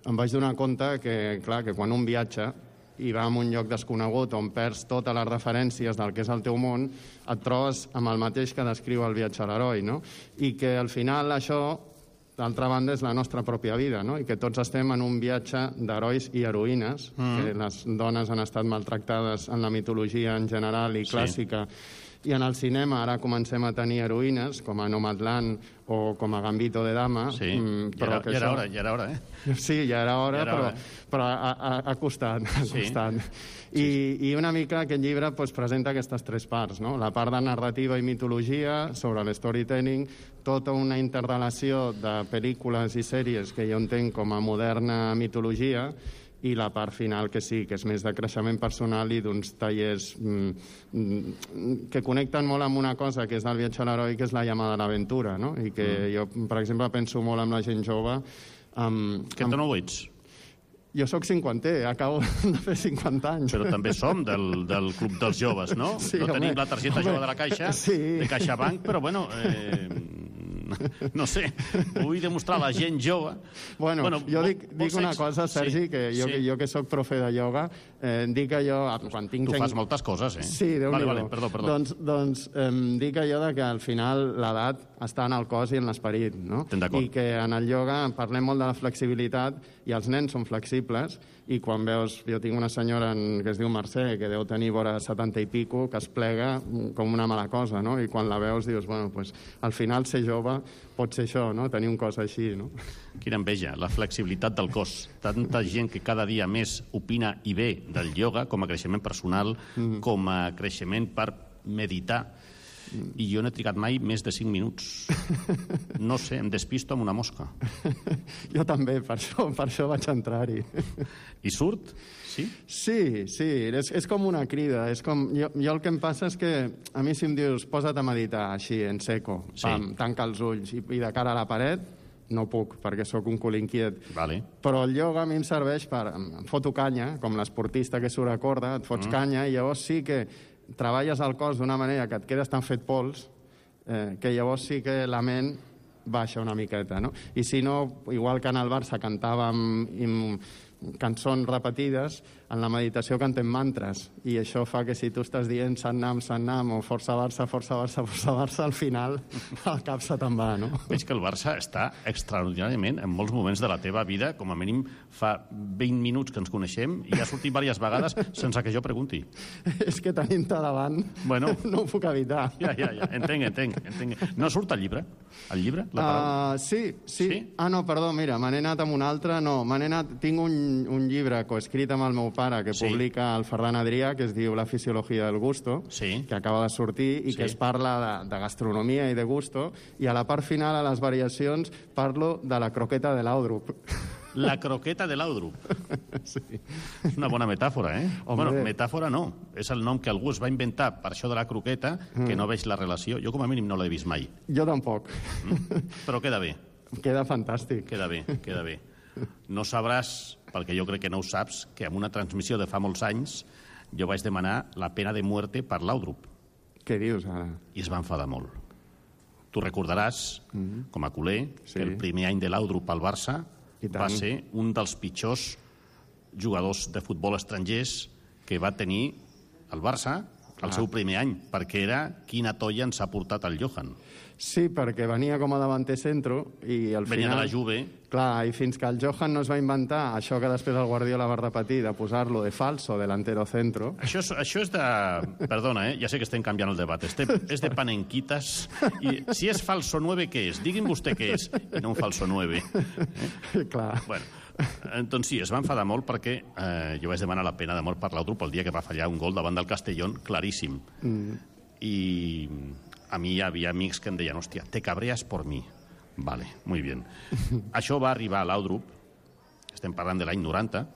em vaig donar compte que, clar, que quan un viatja i va a un lloc desconegut on perds totes les referències del que és el teu món, et trobes amb el mateix que descriu el viatge a l'heroi, no? I que al final això, d'altra banda, és la nostra pròpia vida, no? I que tots estem en un viatge d'herois i heroïnes, mm. que les dones han estat maltractades en la mitologia en general i clàssica, sí. I en el cinema ara comencem a tenir heroïnes, com a Nomadland o com a Gambito de Dama. Sí, però ja, era, que ja era això... hora, ja era hora, eh? Sí, ja era hora, ja era però, hora, eh? però ha, ha, ha costat. Ha sí. costat. I, I una mica aquest llibre pues, presenta aquestes tres parts, no? La part de narrativa i mitologia, sobre l'storytelling, tota una interrelació de pel·lícules i sèries que jo entenc com a moderna mitologia, i la part final que sí, que és més de creixement personal i d'uns tallers mm, mm, que connecten molt amb una cosa que és del viatge a l'heroi, que és la llamada a l'aventura, no? I que mm. jo, per exemple, penso molt amb la gent jove. Amb, que tu no ho ets? Jo sóc cinquanter, acabo de fer cinquanta anys. Però també som del, del club dels joves, no? Sí, no home, tenim la targeta home, jove de la Caixa, sí. de CaixaBank, però bueno... Eh... No sé, vull demostrar a la gent jove... Bueno, bueno jo dic, dic una cosa, Sergi, sí, que jo, sí. que jo que sóc profe de ioga, eh, dic allò... Quan tinc tu gent... fas moltes coses, eh? Sí, Déu-n'hi-do. Vale, vale, perdó, perdó. Doncs, doncs eh, dic allò de que al final l'edat està en el cos i en l'esperit, no? I que en el ioga parlem molt de la flexibilitat i els nens són flexibles i quan veus... Jo tinc una senyora en, que es diu Mercè, que deu tenir vora setanta i pico, que es plega com una mala cosa, no? I quan la veus dius, bueno, pues, al final ser jove pot ser això, no? Tenir un cos així, no? Quina enveja, la flexibilitat del cos. Tanta gent que cada dia més opina i bé del ioga com a creixement personal, mm. com a creixement per meditar. I jo no he trigat mai més de cinc minuts. No sé, em despisto amb una mosca. Jo també, per això, per això vaig entrar-hi. I surt? Sí? Sí, sí, és, és com una crida. És com, jo, jo el que em passa és que a mi si em dius posa't a meditar així, en seco, sí. pam, tanca els ulls i, i de cara a la paret, no puc, perquè sóc un cul inquiet. Vale. Però el ioga a mi em serveix per... Em foto canya, com l'esportista que surt a corda, et fots mm. canya, i llavors sí que treballes el cos d'una manera que et quedes tan fet pols eh, que llavors sí que la ment baixa una miqueta, no? I si no, igual que en el Barça cantàvem amb cançons repetides, en la meditació cantem mantres, i això fa que si tu estàs dient Sant Nam, Sant Nam, o Força Barça, Força Barça, Força Barça, al final el cap se te'n va, no? Veig que el Barça està extraordinàriament en molts moments de la teva vida, com a mínim fa vint minuts que ens coneixem, i ha sortit diverses vegades sense que jo pregunti. És que tenint-te davant bueno, no ho puc evitar. Ja, ja, ja, entenc, entenc, entenc. No surt el llibre? El llibre? La uh, sí, sí, sí. Ah, no, perdó, mira, me n'he anat amb un altre, no, me n'he anat... Tinc un, un llibre coescrit amb el meu pare que sí. publica el Ferran Adrià, que es diu La fisiologia del gusto, sí. que acaba de sortir i sí. que es parla de, de gastronomia i de gusto, i a la part final, a les variacions, parlo de la croqueta de l'Audrup. La croqueta de l'Audrup. Sí. És una bona metàfora, eh? Hombre. Bueno, metàfora no. És el nom que algú es va inventar per això de la croqueta, que mm. no veig la relació. Jo, com a mínim, no l'he vist mai. Jo tampoc. Mm. Però queda bé. Queda fantàstic. Queda bé, queda bé. No sabràs, perquè jo crec que no ho saps, que en una transmissió de fa molts anys jo vaig demanar la pena de muerte per l'Audrup. Què dius, ara? I es va enfadar molt. Tu recordaràs, mm-hmm. com a culer, sí. que el primer any de l'Audrup al Barça va ser un dels pitjors jugadors de futbol estrangers que va tenir el Barça el seu primer any, perquè era quina tolla ens ha portat el Johan. Sí, perquè venia com a davanter centro i al venia final... de la Juve. Clar, i fins que el Johan no es va inventar això que després el Guardiola va repetir, de posar-lo de falso, delantero centro... Això és, això és de... Perdona, eh? Ja sé que estem canviant el debat. Este, és de panenquitas. I si és falso nueve, què és? Digui'm vostè què és. I no un falso nueve. Eh? Clar. Bueno, doncs sí, es va enfadar molt perquè eh, jo vaig demanar la pena de mort per l'Audrup el dia que va fallar un gol davant del Castellón, claríssim. Mm. I a mi hi havia amics que em deien, hòstia, te cabreas por mi. Vale, muy bien. Això va arribar a l'Audrup, estem parlant de l'any noranta,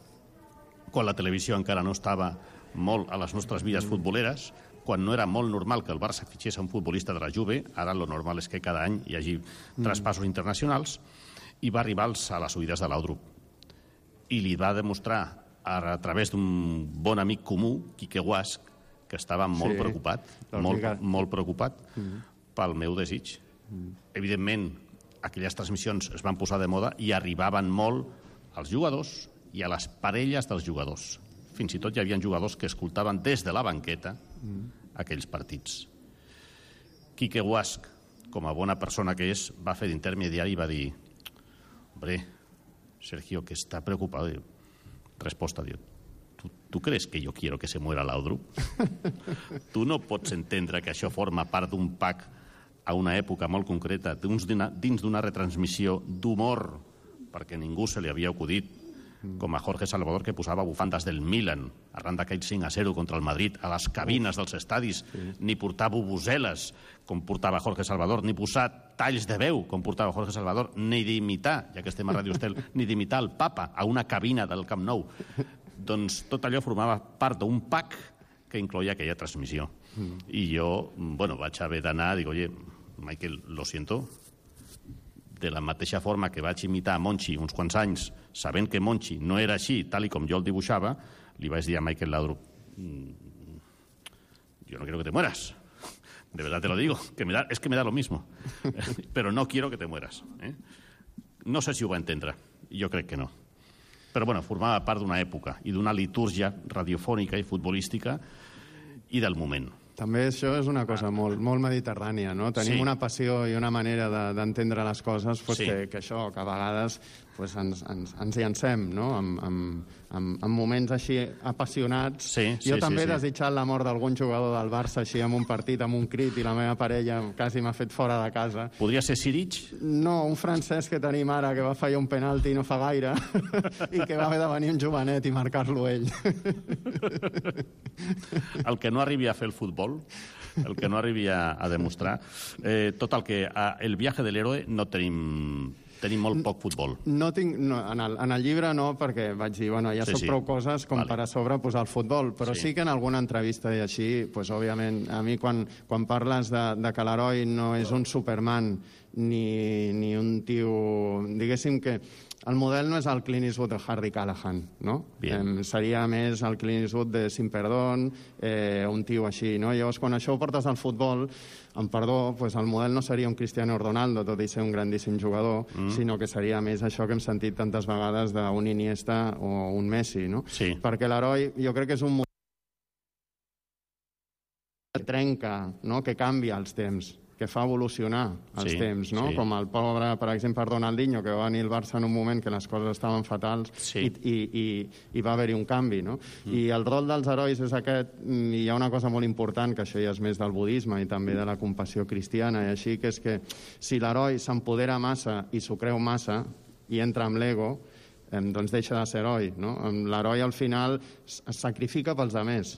quan la televisió encara no estava molt a les nostres vides futboleres, quan no era molt normal que el Barça fitxés un futbolista de la Juve, ara lo normal és que cada any hi hagi mm. traspassos internacionals, i va arribar a les oïdes de l'Audrup. I li va demostrar, a través d'un bon amic comú, Quique Guasch, que estava molt sí, preocupat, molt, molt preocupat mm. pel meu desig. Mm. Evidentment, aquelles transmissions es van posar de moda i arribaven molt als jugadors i a les parelles dels jugadors. Fins i tot hi havia jugadors que escoltaven des de la banqueta mm. aquells partits. Quique Guasch, com a bona persona que és, va fer d'intermediari i va dir: hombre, Sergio, que está preocupado. Resposta, diu: ¿Tú, ¿tú crees que yo quiero que se muera l'Audrup? Tu no pots entendre que això forma part d'un pack a una època molt concreta, dins d'una retransmissió d'humor, perquè ningú se li havia acudit, com a Jorge Salvador, que posava bufandes del Milan arran d'aquell cinc a zero contra el Madrid a les cabines dels estadis, ni portar bubuseles com portava Jorge Salvador, ni posar talls de veu com portava Jorge Salvador, ni d'imitar, ja que estem a Ràdio Estel, ni d'imitar el papa a una cabina del Camp Nou. Doncs tot allò formava part d'un pack que incloïa aquella transmissió. I jo, bueno, vaig haver d'anar, dic, oye, Michael, lo siento, de la mateixa forma que vaig imitar a Monchi uns quants anys, sabent que Monchi no era així, tal i com jo el dibuixava, li vaig dir a Michael Laudrup: yo no quiero que te mueras. De verdad te lo digo, que me da, es que me da lo mismo. Pero no quiero que te mueras. ¿eh? No sé si ho va entendre, jo crec que no. Però, bueno, formava part d'una època i d'una litúrgia radiofònica i futbolística i del moment. També això és una cosa molt, molt mediterrània, no? Tenim sí. una passió i una manera d'entendre de, les coses pues, sí. que, que això, que a vegades pues, ens, ens, ens llancem, no? En, en, en, en moments així apassionats. Sí, jo sí, també sí, he sí. desitjat la mort d'algun jugador del Barça així en un partit, amb un crit, i la meva parella quasi m'ha fet fora de casa. Podria ser Siric? No, un francès que tenim ara que va fallar un penalti no fa gaire i que va haver de venir un jovenet i marcar-lo ell. El que no arribi a fer el futbol, el que no arribi a, a demostrar. Eh, tot el que... A, el viaje de l'héroe no tenim... Tenim molt poc futbol. No tinc, no, en, el, en el llibre no, perquè vaig dir, bueno, ja sí, soc sí. prou coses com vale. per a sobre posar el futbol, però sí. sí que en alguna entrevista i així, pues, òbviament, a mi quan, quan parles de, de que l'heroi no és un Superman ni, ni un tio... Diguéssim que el model no és el Clint Eastwood de Harry Callahan, no? Eh, seria més el Clint Eastwood de Sin Perdón, eh, un tio així, no? Llavors, quan això ho portes al futbol, amb perdó, pues el model no seria un Cristiano Ronaldo, tot i ser un grandíssim jugador, mm. sinó que seria més això que hem sentit tantes vegades d'un Iniesta o un Messi, no? Sí. Perquè l'heroi, jo crec que és un model que trenca, no? Que canvia els temps, que fa evolucionar els sí, temps, no? Sí. Com el pobre, per exemple, Ronaldinho, que va venir al Barça en un moment que les coses estaven fatals sí. i, i, i, i va haver-hi un canvi, no? Mm. I el rol dels herois és aquest, i hi ha una cosa molt important, que això ja és més del budisme i també de la compassió cristiana, i així, que és que si l'heroi s'empodera massa i s'ho creu massa i entra amb l'ego, eh, doncs deixa de ser heroi, no? L'heroi al final es sacrifica pels altres.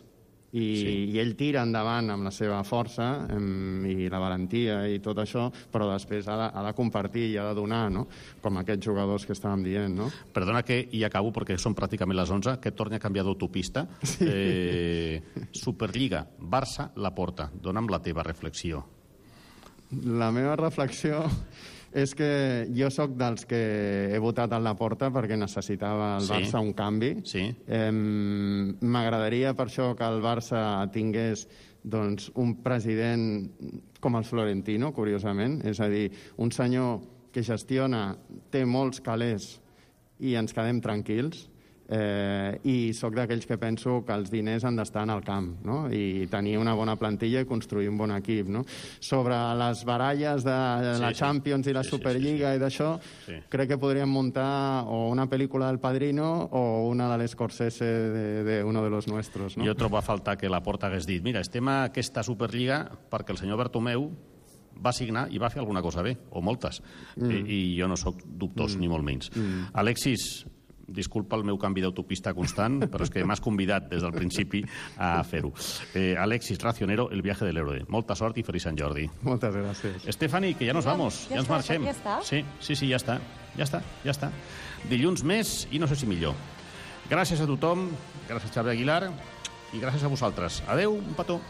I, sí. i ell tira endavant amb la seva força em, i la valentia i tot això, però després ha de, ha de compartir i ha de donar, no? Com aquests jugadors que estàvem dient, no? Perdona que, i acabo perquè són pràcticament les onze, que torni a canviar d'autopista. Sí. Eh, Superliga, Barça, Laporta. Dóna'm la teva reflexió. La meva reflexió és que jo sóc dels que he votat a Laporta perquè necessitava el Barça sí. un canvi. Sí. Eh, M'agradaria per això que el Barça tingués doncs, un president com el Florentino, curiosament, és a dir, un senyor que gestiona, té molts calés i ens quedem tranquils. Eh, i sóc d'aquells que penso que els diners han d'estar en el camp, no? I tenir una bona plantilla i construir un bon equip, no? Sobre les baralles de sí, la Champions sí. i la Superliga sí, sí, sí. i d'això, sí. crec que podríem muntar o una pel·lícula del Padrino o una de l'Scorsese de, de uno de los nuestros, no? Jo trobo a faltar que Laporta hagués dit: mira, estem a aquesta Superliga perquè el senyor Bartomeu va signar i va fer alguna cosa bé, o moltes, mm. I, i jo no sóc dubtós, mm. ni molt menys. Mm. Alexis, disculpa el meu canvi d'autopista constant, però és que m'has convidat des del principi a fer-ho. Eh, Alexis Racionero, El viaje del héroe. Molta sort i feliç Sant Jordi. Moltes gràcies. Stephanie, que ja nos vamos, ja, ja ens està, marxem. Ja està? Sí, sí, sí, ja està. Ja està, ja està. Dilluns més i no sé si millor. Gràcies a tothom, gràcies a Xavier Aguilar i gràcies a vosaltres. Adeu, un petó.